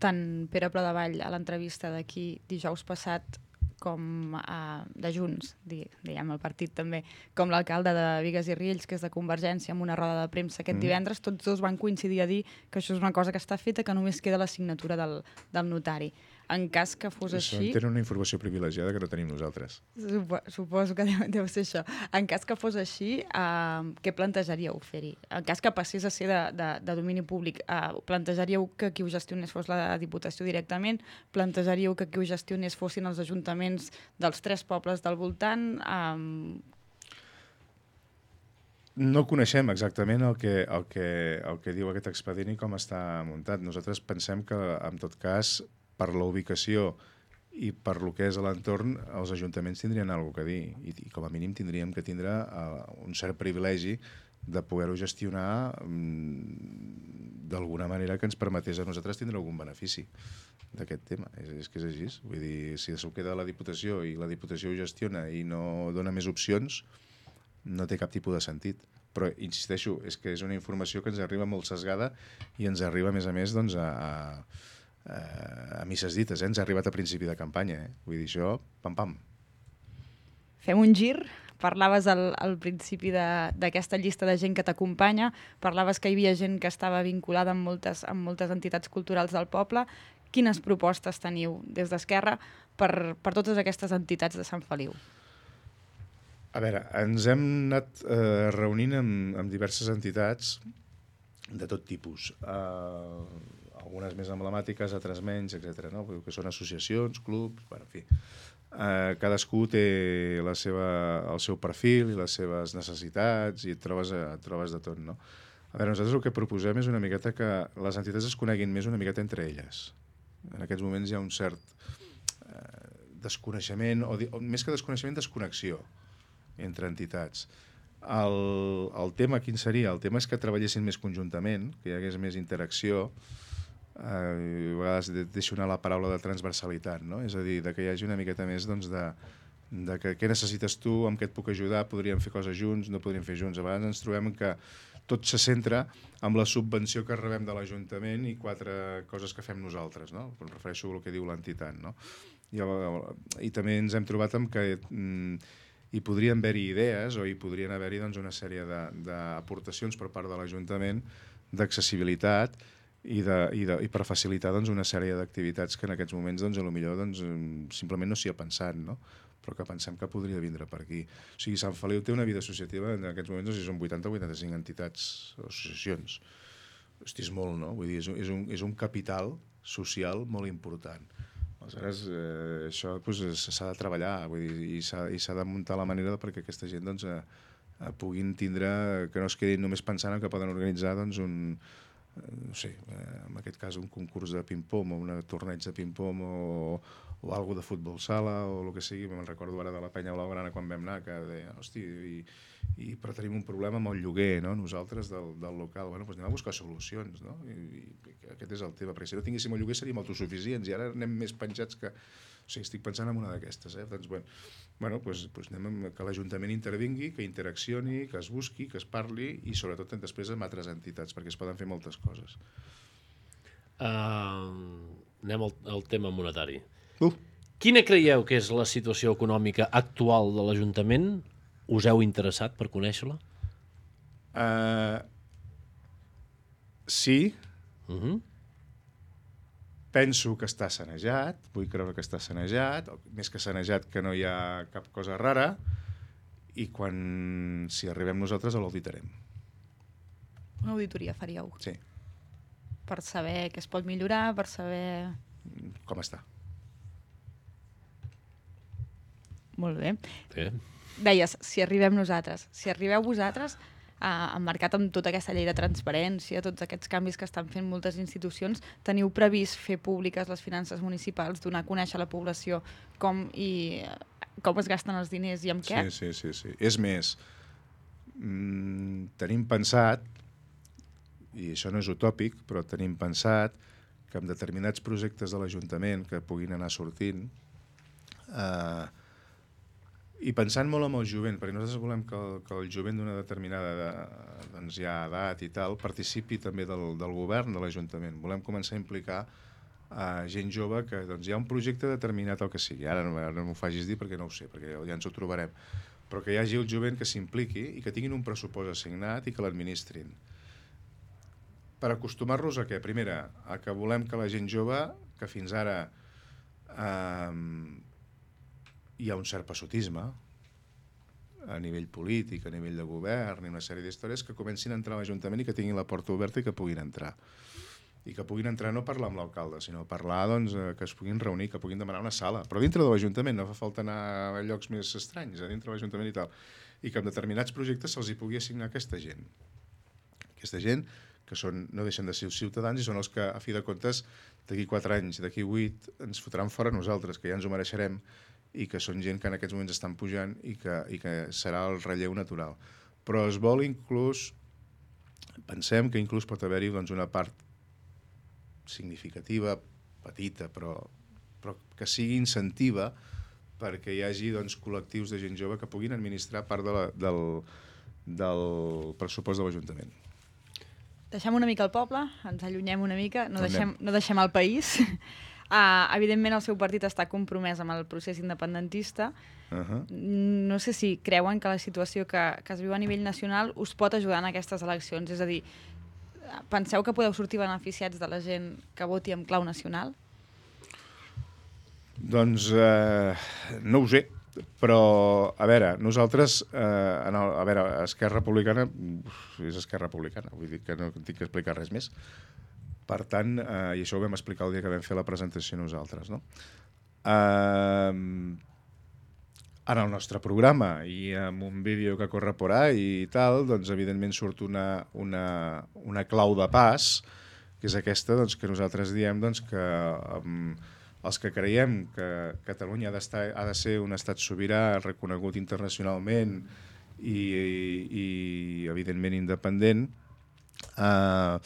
Tant Pere Pladevall a l'entrevista d'aquí dijous passat com uh, de Junts, diguem el partit també, com l'alcalde de Bigues i Riells, que és de Convergència, amb una roda de premsa aquest mm. divendres, tots dos van coincidir a dir que això és una cosa que està feta, que només queda la signatura del, del notari. En cas que fos això així... Tenen una informació privilegiada que no tenim nosaltres. Supo, suposo que deu, deu ser això. En cas que fos així, uh, què plantejaríeu fer-hi? En cas que passés a ser de, de, de domini públic, uh, plantejaríeu que qui ho gestionés fos la Diputació directament? Plantejaríeu que qui ho gestionés fossin els ajuntaments dels tres pobles del voltant? Um... No coneixem exactament el que, el, que, el que diu aquest expedient i com està muntat. Nosaltres pensem que, en tot cas, per la ubicació i per lo que és a l'entorn, els ajuntaments tindrien alguna cosa a dir i, i com a mínim tindríem que tindre uh, un cert privilegi de poder-ho gestionar um, d'alguna manera que ens permetés a nosaltres tindre algun benefici d'aquest tema. És, és que és així. Vull dir, si s'ho queda a la Diputació i la Diputació ho gestiona i no dona més opcions, no té cap tipus de sentit. Però, insisteixo, és que és una informació que ens arriba molt sesgada i ens arriba, a més a més, doncs, a, a, a misses dites. Eh? Ens ha arribat a principi de campanya. Eh? Vull dir, això, pam-pam. Fem un gir. Parlaves al, al principi d'aquesta llista de gent que t'acompanya, parlaves que hi havia gent que estava vinculada amb moltes, amb moltes entitats culturals del poble. Quines propostes teniu des d'Esquerra per, per totes aquestes entitats de Sant Feliu? A veure, ens hem anat eh, reunint amb, amb diverses entitats de tot tipus. Eh, algunes més emblemàtiques, altres menys, etcètera. No? Que són associacions, clubs, bueno, en fi. Eh, cadascú té la seva, el seu perfil i les seves necessitats i et trobes, et trobes de tot. No? A veure, nosaltres el que proposem és una miqueta que les entitats es coneguin més una miqueta entre elles. En aquests moments hi ha un cert eh, desconeixement, o, o més que desconeixement, desconnexió entre entitats. El, el tema quin seria? El tema és que treballessin més conjuntament, que hi hagués més interacció. Eh, a vegades deixo anar la paraula de transversalitat, no? És a dir, de que hi hagi una miqueta més doncs, de, de que què necessites tu, amb què et puc ajudar, podríem fer coses junts, no podríem fer junts. A vegades ens trobem que tot se centra amb la subvenció que rebem de l'Ajuntament i quatre coses que fem nosaltres, no? Em refereixo al que diu l'entitat, no? I, i també ens hem trobat amb que mm, hi podrien haver-hi idees o hi podrien haver-hi doncs, una sèrie d'aportacions per part de l'Ajuntament d'accessibilitat i, de, i, de, i per facilitar doncs, una sèrie d'activitats que en aquests moments doncs, potser doncs, simplement no s'hi ha pensat, no? Però que pensem que podria vindre per aquí. O sigui, Sant Feliu té una vida associativa, en aquests moments no sé si són vuitanta o vuitanta-cinc entitats o associacions. Hosti, és molt, no? Vull dir, és un, és un, és un capital social molt important. Aleshores, eh, això pues, s'ha de treballar, vull dir, i s'ha de muntar la manera perquè aquesta gent doncs, eh, eh, puguin tindre, que no es quedin només pensant en que poden organitzar doncs, un, eh, no sé, eh, en aquest cas un concurs de ping-pong o un torneig de ping-pong o, o alguna de futbol sala o el que sigui. Me'n recordo ara de la Penya Blaugrana quan vam anar, que deia, hosti, i, i, però tenim un problema amb el lloguer, no? Nosaltres del, del local. Bueno, doncs anem a buscar solucions, no? I, i aquest és el tema, perquè si no tinguéssim el lloguer seríem autosuficients i ara anem més penjats que... O sigui, estic pensant en una d'aquestes, eh? Doncs, bueno, bueno doncs, doncs anem amb que l'Ajuntament intervingui, que interaccioni, que es busqui, que es parli i sobretot després amb altres entitats, perquè es poden fer moltes coses. Uh, anem al, al tema monetari. Uh. Quina creieu que és la situació econòmica actual de l'Ajuntament? Us heu interessat per conèixer-la? Uh, sí. Uh-huh. Penso que està sanejat, vull creure que està sanejat, més que sanejat que no hi ha cap cosa rara, i quan, si arribem nosaltres, l'auditarem. Una auditoria faríeu? Sí. Per saber què es pot millorar, per saber... Com està. Molt bé. Sí. Deies, si arribem nosaltres. Si arribeu vosaltres, eh, emmarcat amb tota aquesta llei de transparència, tots aquests canvis que estan fent moltes institucions, teniu previst fer públiques les finances municipals, donar a conèixer a la població com, i, com es gasten els diners i amb què? Sí, sí, sí. sí. És més, mmm, tenim pensat, i això no és utòpic, però tenim pensat que amb determinats projectes de l'Ajuntament que puguin anar sortint, eh, i pensant molt en el jovent, perquè nosaltres volem que el, que el jovent d'una determinada de, doncs ja edat i tal participi també del, del govern de l'Ajuntament. Volem començar a implicar uh, gent jove que doncs, hi ha un projecte determinat o que sigui. Ara no, no m'ho facis dir perquè no ho sé, perquè ja ens ho trobarem. Però que hi hagi el jovent que s'impliqui i que tinguin un pressupost assignat i que l'administrin. Per acostumar-los a què? Primera, a que volem que la gent jove, que fins ara... Uh, hi ha un cert passotisme a nivell polític, a nivell de govern i una sèrie d'històries que comencin a entrar a l'Ajuntament i que tinguin la porta oberta i que puguin entrar. I que puguin entrar no parlar amb l'alcalde, sinó parlar doncs, que es puguin reunir, que puguin demanar una sala. Però dintre de l'Ajuntament, no fa falta anar a llocs més estranys, a dintre de l'Ajuntament i tal. I que amb determinats projectes se'ls hi pugui assignar aquesta gent. Aquesta gent que són, no deixen de ser ciutadans i són els que, a fi de comptes, d'aquí quatre anys, d'aquí vuit, ens fotran fora nosaltres, que ja ens ho mereixerem, i que són gent que en aquests moments estan pujant i que, i que serà el relleu natural. Però es vol inclús pensem que inclús pot haver-hi doncs, una part significativa, petita, però, però que sigui incentiva perquè hi hagi doncs, col·lectius de gent jove que puguin administrar part de la, del, del pressupost de l'Ajuntament. Deixem una mica el poble, ens allunyem una mica, no, Tornem. deixem, no deixem el país. Uh, evidentment el seu partit està compromès amb el procés independentista. Uh-huh. No sé si creuen que la situació que, que es viu a nivell nacional us pot ajudar en aquestes eleccions. És a dir, penseu que podeu sortir beneficiats de la gent que voti en clau nacional? Doncs eh, no ho sé, però a veure, nosaltres, eh, en el, a veure, Esquerra Republicana és Esquerra Republicana, vull dir que no tinc que explicar res més. Per tant, eh, i això ho vam explicar el dia que vam fer la presentació nosaltres, no? Eh, en el nostre programa i en un vídeo que corre por ahí i tal, doncs evidentment surt una, una, una clau de pas, que és aquesta doncs, que nosaltres diem doncs, que um, els que creiem que Catalunya ha, d'estar, ha de ser un estat sobirà, reconegut internacionalment i, i, i evidentment independent, eh,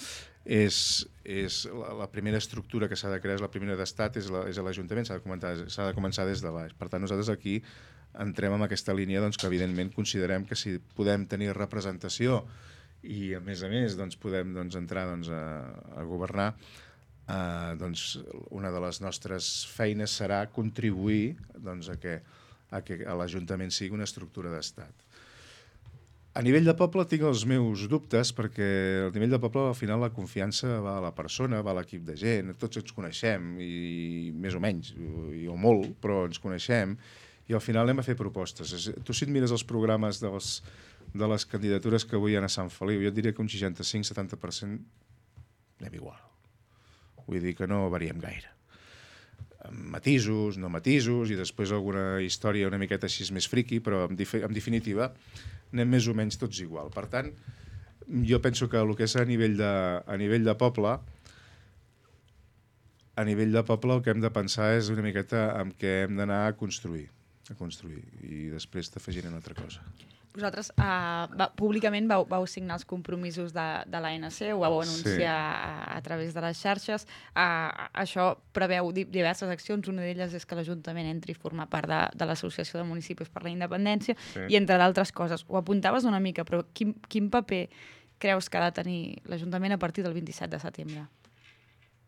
és, és la, la primera estructura que s'ha de crear, és la primera d'estat, és l'Ajuntament, s'ha de, començar, s'ha de començar des de baix. Per tant, nosaltres aquí entrem en aquesta línia doncs, que evidentment considerem que si podem tenir representació i a més a més doncs, podem doncs, entrar doncs, a, a governar, eh, doncs, una de les nostres feines serà contribuir doncs, a que, a que l'Ajuntament sigui una estructura d'estat. A nivell de poble tinc els meus dubtes perquè al nivell de poble al final la confiança va a la persona, va a l'equip de gent, tots ens coneixem i més o menys, i o molt, però ens coneixem i al final anem a fer propostes. Tu si et mires els programes de les, de les candidatures que avui hi ha a Sant Feliu, jo et diria que un seixanta-cinc setanta per cent anem igual. Vull dir que no variem gaire. Amb matisos, no matisos, i després alguna història una miqueta així més friqui, però en, en definitiva anem més o menys tots igual. Per tant, jo penso que el que és a nivell de, a nivell de poble, a nivell de poble el que hem de pensar és una miqueta en què hem d'anar a construir, a construir, i després t'afegiré una altra cosa. Vosaltres uh, va, públicament vau, vau signar els compromisos de, de l'A N C, ho vau anunciar sí. a, a través de les xarxes. Uh, això preveu diverses accions, una d'elles és que l'Ajuntament entri a formar part de, de l'Associació de Municipis per la Independència, sí. i entre d'altres coses. Ho apuntaves una mica, però quin, quin paper creus que ha de tenir l'Ajuntament a partir del vint-i-set de setembre?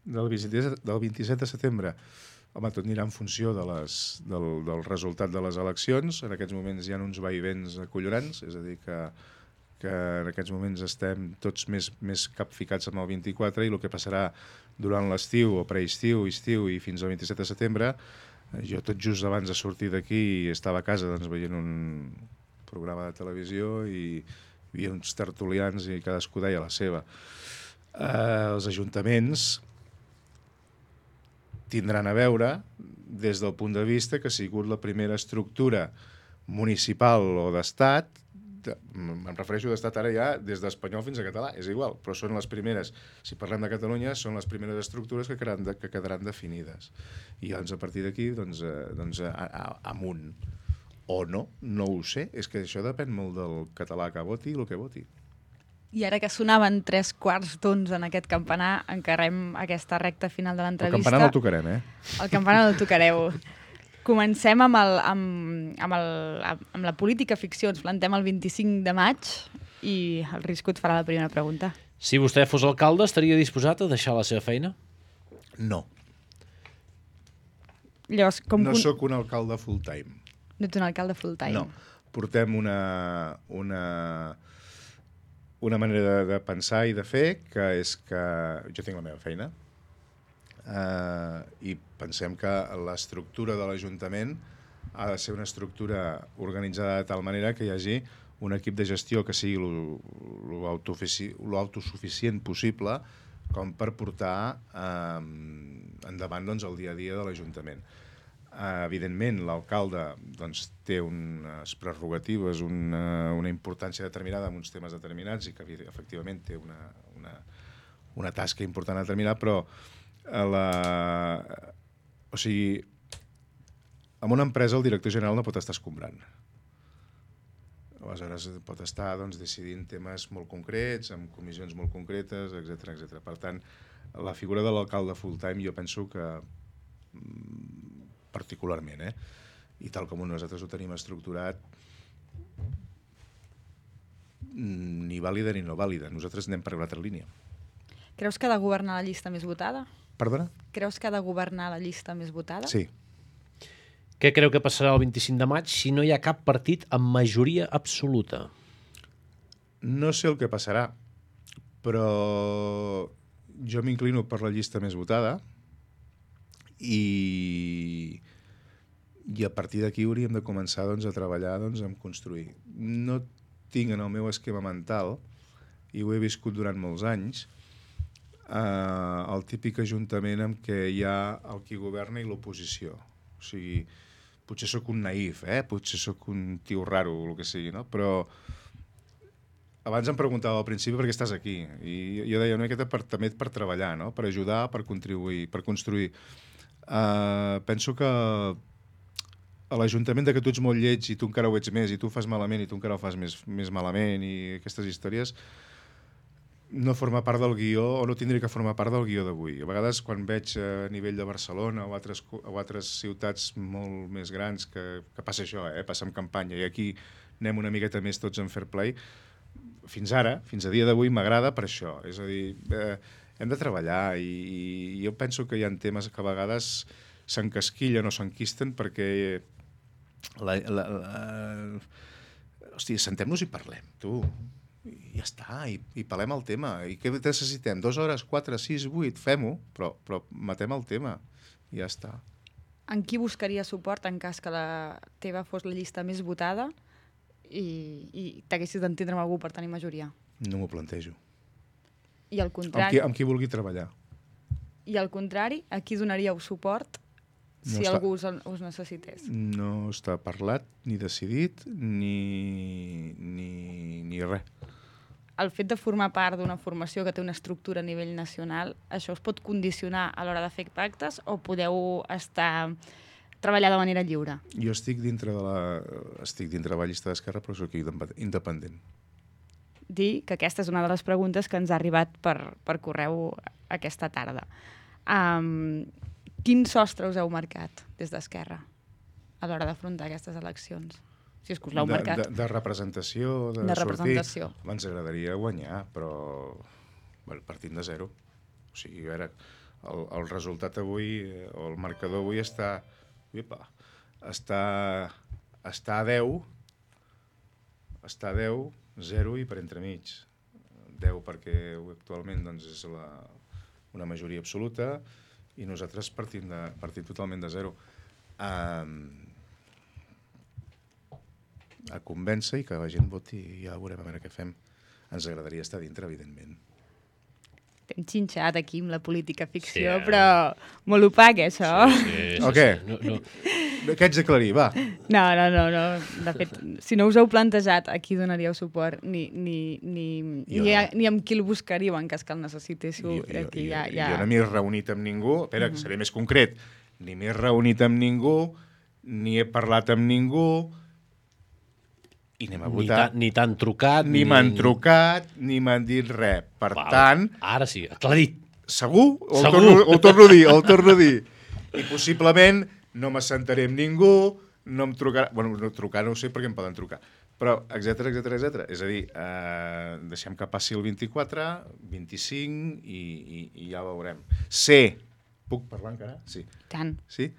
Del vint-i-set de setembre? Home, tot anirà en funció de les, del, del resultat de les eleccions. En aquests moments hi ha uns vaivens acollonants, és a dir, que, que en aquests moments estem tots més, més capficats amb el vint-i-quatre i el que passarà durant l'estiu o preestiu, estiu i fins al vint-i-set de setembre, jo tot just abans de sortir d'aquí estava a casa doncs, veient un programa de televisió i hi havia uns tertulians i cadascú deia la seva. Eh, els ajuntaments tindran a veure des del punt de vista que ha sigut la primera estructura municipal o d'estat, em refereixo d'estat ara ja des d'espanyol fins a català, és igual, però són les primeres, si parlem de Catalunya, són les primeres estructures que quedaran, de, que quedaran definides. I doncs a partir d'aquí, doncs, eh, doncs a, a, amunt. O no, no ho sé, és que això depèn molt del català que voti i el que voti. I ara que sonaven tres quarts d'onze en aquest campanar, encarrem aquesta recta final de l'entrevista. El campanar no el tocarem, eh? El campanar no el tocareu. Comencem amb, el, amb, amb, el, amb la política ficció. Ens plantem el vint-i-cinc de maig i el Risco et farà la primera pregunta. Si vostè fos alcalde, estaria disposat a deixar la seva feina? No. Llavors, com no un... sóc un alcalde full-time. No ets un alcalde full-time? No. Portem una... una una manera de, de pensar i de fer, que és que jo tinc la meva feina, eh, i pensem que l'estructura de l'Ajuntament ha de ser una estructura organitzada de tal manera que hi hagi un equip de gestió que sigui l'autosuficient possible com per portar eh, endavant doncs, el dia a dia de l'Ajuntament. Uh, evidentment, l'alcalde doncs, té unes prerrogatives, una, una importància determinada en uns temes determinats i que efectivament té una, una, una tasca important a determinar, però a la... o sigui, en una empresa el director general no pot estar escombrant. aleshores pot estar doncs, decidint temes molt concrets, amb comissions molt concretes, etcètera etcètera. Per tant, la figura de l'alcalde full-time jo penso que particularment, eh? I tal com nosaltres ho tenim estructurat, ni vàlida ni no vàlida. Nosaltres anem per una altra línia. Creus que ha de governar la llista més votada? Perdona? Creus que ha de governar la llista més votada? Sí. Què creu que passarà el vint-i-cinc de maig si no hi ha cap partit amb majoria absoluta? No sé el que passarà, però jo m'inclino per la llista més votada i, i a partir d'aquí hauríem de començar doncs, a treballar doncs, en construir. No tinc en el meu esquema mental, i ho he viscut durant molts anys, eh, el típic ajuntament en què hi ha el qui governa i l'oposició. O sigui, potser sóc un naïf, eh? Potser sóc un tio raro o el que sigui, no? Però abans em preguntava al principi per què estàs aquí, i jo deia una miqueta per, també per treballar, no? Per ajudar, per contribuir, per construir. Uh, penso que a l'Ajuntament de que tu ets molt lleig i tu encara ho ets més, i tu ho fas malament i tu encara ho fas més, més malament, i aquestes històries no forma part del guió, o no tindria que formar part del guió d'avui. A vegades, quan veig a nivell de Barcelona o altres, o altres ciutats molt més grans que, que passa això, eh? Passa en campanya, i aquí anem una miqueta més tots en fair play, fins ara, fins a dia d'avui, m'agrada per això. És a dir, eh, hem de treballar, i, i jo penso que hi ha temes que a vegades s'encasquillen o s'enquisten perquè la, la, la... hòstia, sentem-nos i parlem, tu. I ja està, i, i parlem el tema. I què necessitem? Dues hores, quatre, sis, vuit, fem-ho, però, però matem el tema. I ja està. En qui buscaria suport en cas que la teva fos la llista més votada i, i t'haguessis d'entendre amb algú per tenir majoria? No m'ho plantejo. I al contrari... Amb qui, amb qui vulgui treballar. I al contrari, a qui donaríeu suport si no està, algú us, us necessités? No està parlat, ni decidit, ni, ni, ni res. El fet de formar part d'una formació que té una estructura a nivell nacional, això us pot condicionar a l'hora de fer pactes o podeu estar treballar de manera lliure? Jo estic dintre de la, estic dintre de la llista d'Esquerra, però soc independent. Dir que aquesta és una de les preguntes que ens ha arribat per, per correu aquesta tarda. Um, quin sostre us heu marcat des d'Esquerra a l'hora d'afrontar aquestes eleccions? Si és que us l'heu marcat. De, de, de representació, de, de sortir. Representació. Ens agradaria guanyar, però bueno, partint de zero. O sigui, a veure, el, el resultat avui, o el marcador avui està... Uipa, està, està a deu, està a deu, zero i per entremig. deu perquè actualment doncs, és la, una majoria absoluta i nosaltres partim, de, partim totalment de zero. Um, a convèncer i que la gent voti i ja veurem a veure què fem. Ens agradaria estar dintre, evidentment. T'hem xinxat aquí amb la política ficció, sí, però molt opac, això. Sí, sí, sí, o què? Sí, no, no. Què haig d'aclarir? Va. No, no, no, no. De fet, si no us heu plantejat a qui donaríeu suport, ni, ni, ni, Jo, ni, a, ni amb qui el buscaríeu en cas que el necessitéssiu. Jo, jo, Aquí jo, ja, ja... jo no m'he reunit amb ningú, espera, uh -huh. seré més concret, ni m'he reunit amb ningú, ni he parlat amb ningú, i anem a votar. Ni t'han trucat. Ni, ni m'han trucat, ni m'han dit res. Per Val. tant... Ara sí, aclarit. Segur? O Segur. El torno, o el torno a dir, o el torno a dir. I possiblement no m'assentaré amb ningú, no em trucarà... Bueno, no trucar no ho sé perquè em poden trucar. Però, etcètera, etcètera, etcètera. És a dir, eh, deixem que passi el vint-i-quatre, vint-i-cinc i, i, i ja veurem. Sé, puc parlar encara? Sí. Tant. Sí?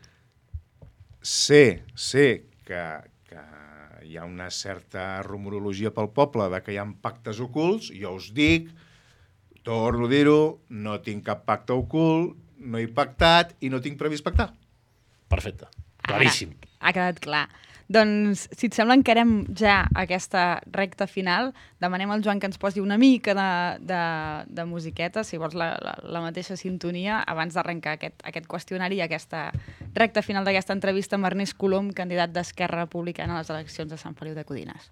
Sé, sé que, que hi ha una certa rumorologia pel poble de que hi ha pactes ocults, jo us dic, torno a dir-ho, no tinc cap pacte ocult, no he pactat i no tinc previst pactar. Perfecte, claríssim. Ara, ha quedat clar. Doncs, si et sembla, encarem ja aquesta recta final. Demanem al Joan que ens posi una mica de, de, de musiqueta, si vols la, la, la mateixa sintonia, abans d'arrencar aquest, aquest qüestionari i aquesta recta final d'aquesta entrevista amb Ernest Colom, candidat d'Esquerra Republicana a les eleccions de Sant Feliu de Codines.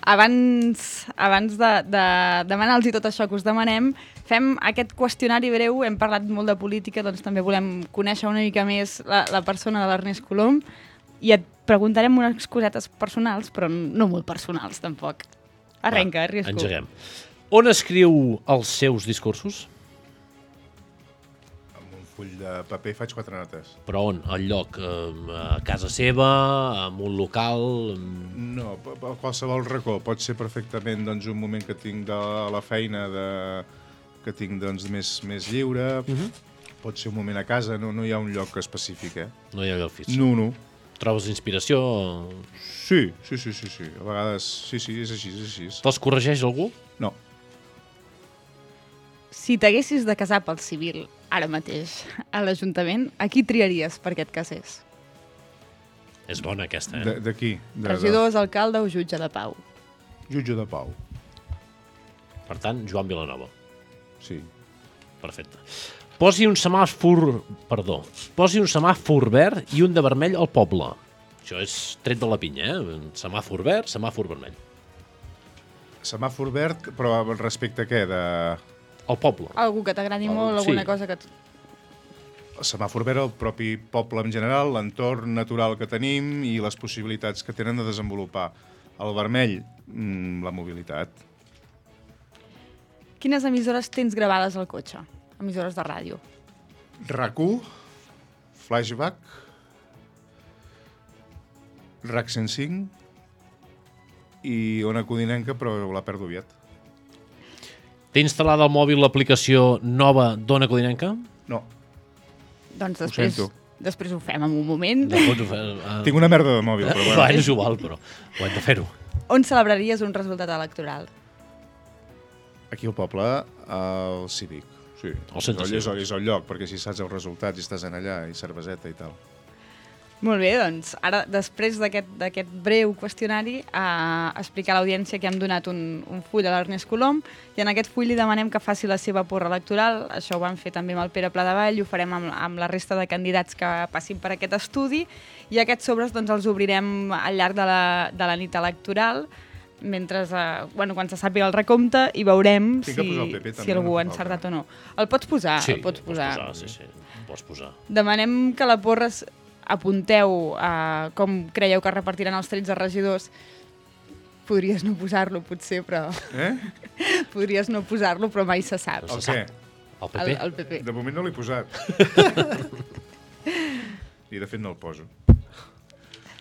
abans, abans de, de demanar-los tot això que us demanem, fem aquest qüestionari breu. Hem parlat molt de política, doncs també volem conèixer una mica més la, la persona de l'Ernest Colom i et preguntarem unes cosetes personals, però no molt personals, tampoc. Arrenca, Va, Riesco. Engeguem. On escriu els seus discursos? Full de paper faig quatre notes. Però on? Al lloc? A casa seva? En un local? No, a qualsevol racó. Pot ser perfectament doncs, un moment que tinc de la feina de... que tinc doncs, més, més lliure. Uh-huh. Pot ser un moment a casa, no, no hi ha un lloc específic, eh? No hi ha lloc fix. No, no. Trobes inspiració? Sí, sí, sí, sí, sí. A vegades, sí, sí, és així, és així. Te'ls corregeix algú? No. Si t'haguessis de casar pel civil, ara mateix, a l'Ajuntament, a qui triaries perquè et casés? És bona aquesta, eh? De, de qui? De, Regidors, alcalde o jutge de pau? de... Jutge de pau. Per tant, Joan Vilanova. Sí. Perfecte. Posi un semàfor... Perdó. Posi un semàfor verd i un de vermell al poble. Això és tret de la pinya, eh? Semàfor verd, semàfor vermell. Semàfor verd, però respecte a què? De... Al poble. Algú que t'agradi molt, alguna sí. cosa que... Et... El semàfor verd, el propi poble en general, l'entorn natural que tenim i les possibilitats que tenen de desenvolupar. El vermell, mmm, la mobilitat. Quines emissores tens gravades al cotxe? Emissores de ràdio. RAC1, Flashback, RAC cent cinc i Ona Codinenca, però la perdo aviat. Té instal·lada al mòbil l'aplicació nova d'Ona Codinenca? No. Doncs després, Ho després ho fem en un moment. Després ho fem, uh... Tinc una merda de mòbil, però bueno. Bueno, és igual, però ho hem de fer-ho. On celebraries un resultat electoral? Aquí al poble, al Cívic. Sí, Al centre és, el, cívic. és el lloc, perquè si saps els resultats i estàs en allà, i cerveseta i tal. Molt bé, doncs, ara, després d'aquest d'aquest breu qüestionari, a explicar a l'audiència que hem donat un, un full a l'Ernest Colom, i en aquest full li demanem que faci la seva porra electoral. Això ho vam fer també amb el Pere Pladevall, i ho farem amb, amb la resta de candidats que passin per aquest estudi, i aquests sobres doncs, els obrirem al llarg de la, de la nit electoral, mentre, eh, bueno, quan se sàpiga el recompte, i veurem Tinc si, que posar el P P, també, si algú no? ha encertat o no. El pots posar, Sí, el pots posar. posar. Sí, sí, el pots posar. Demanem que la porra es- apunteu a com creieu que repartiran els tretze regidors. Podries no posar-lo, potser, però... Eh? Podries no posar-lo, però mai se sap. El què? El P P? El, el P P. De moment no l'he posat. I de fet no el poso.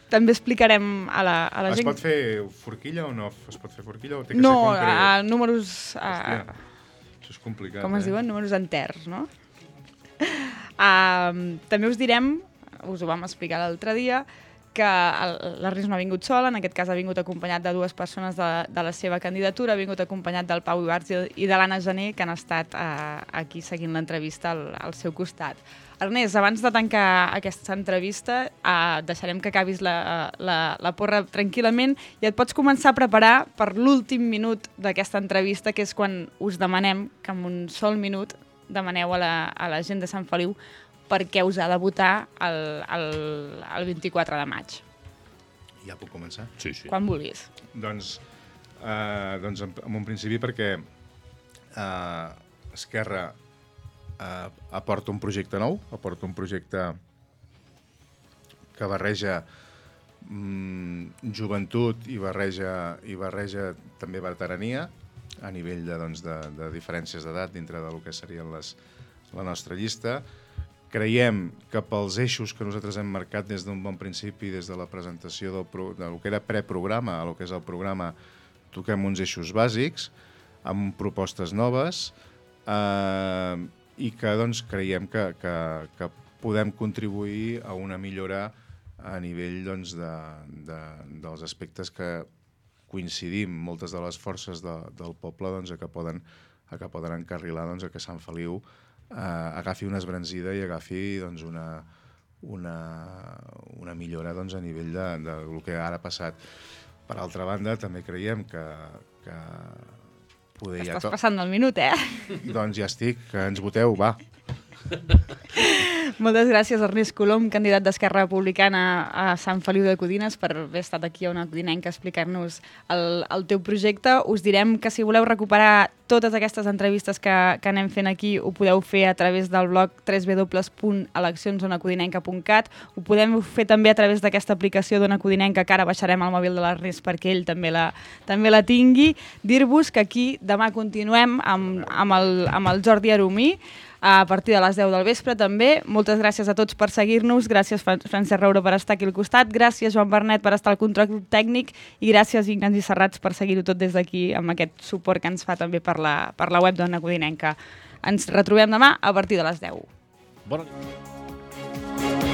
També explicarem a la, a la Es gent... pot fer forquilla o no? Es pot fer forquilla o té que No, ser concret? a números... A, Hòstia, això és complicat, com es eh? diuen? Números enters, no? Uh, també us direm, us ho vam explicar l'altre dia, que l'Ernest no ha vingut sol, en aquest cas ha vingut acompanyat de dues persones de, de la seva candidatura, ha vingut acompanyat del Pau Ibarz i de l'Anna Gené, que han estat uh, aquí seguint l'entrevista al, al seu costat. Ernest, abans de tancar aquesta entrevista, uh, deixarem que acabis la, la, la porra tranquil·lament i et pots començar a preparar per l'últim minut d'aquesta entrevista, que és quan us demanem que en un sol minut demaneu a la, a la gent de Sant Feliu per què us ha de votar el, el, el vint-i-quatre de maig. Ja puc començar? Sí, sí. Quan vulguis. Doncs, eh, doncs en, en un principi perquè eh, Esquerra eh, aporta un projecte nou, aporta un projecte que barreja mm, joventut i barreja, i barreja també veterania a nivell de, doncs, de, de diferències d'edat dintre del que serien les, la nostra llista. Creiem que pels eixos que nosaltres hem marcat des d'un bon principi, des de la presentació del, pro, del que era preprograma a lo que és el programa, toquem uns eixos bàsics, amb propostes noves, eh, i que doncs, creiem que, que, que podem contribuir a una millora a nivell doncs, de, de, dels aspectes que coincidim moltes de les forces de, del poble doncs, a que poden, a que poden encarrilar doncs, a que Sant Feliu eh, agafi una esbranzida i agafi doncs, una, una, una millora doncs, a nivell de, de del que ara ha passat. Per altra banda, també creiem que, que poder ja Estàs passant del minut, eh? Doncs ja estic, que ens voteu, va. Moltes gràcies, Ernest Colom, candidat d'Esquerra Republicana a Sant Feliu de Codines, per haver estat aquí a Ona Codinenca a explicar-nos el, el teu projecte. Us direm que si voleu recuperar totes aquestes entrevistes que, que anem fent aquí, ho podeu fer a través del blog w w w punt eleccions ona codinenca punt cat. Ho podem fer també a través d'aquesta aplicació d'Ona Codinenca, que ara baixarem al mòbil de l'Ernest perquè ell també la, també la tingui. Dir-vos que aquí demà continuem amb, amb, el, amb el Jordi Aromí, a partir de les deu del vespre també. Moltes gràcies a tots per seguir-nos, gràcies Francesc Roure per estar aquí al costat, gràcies Joan Bernet per estar al control tècnic i gràcies Ignasi Serrats per seguir-ho tot des d'aquí amb aquest suport que ens fa també per la, per la web d'Ona Codinenca. Ens retrobem demà a partir de les deu. Bona nit.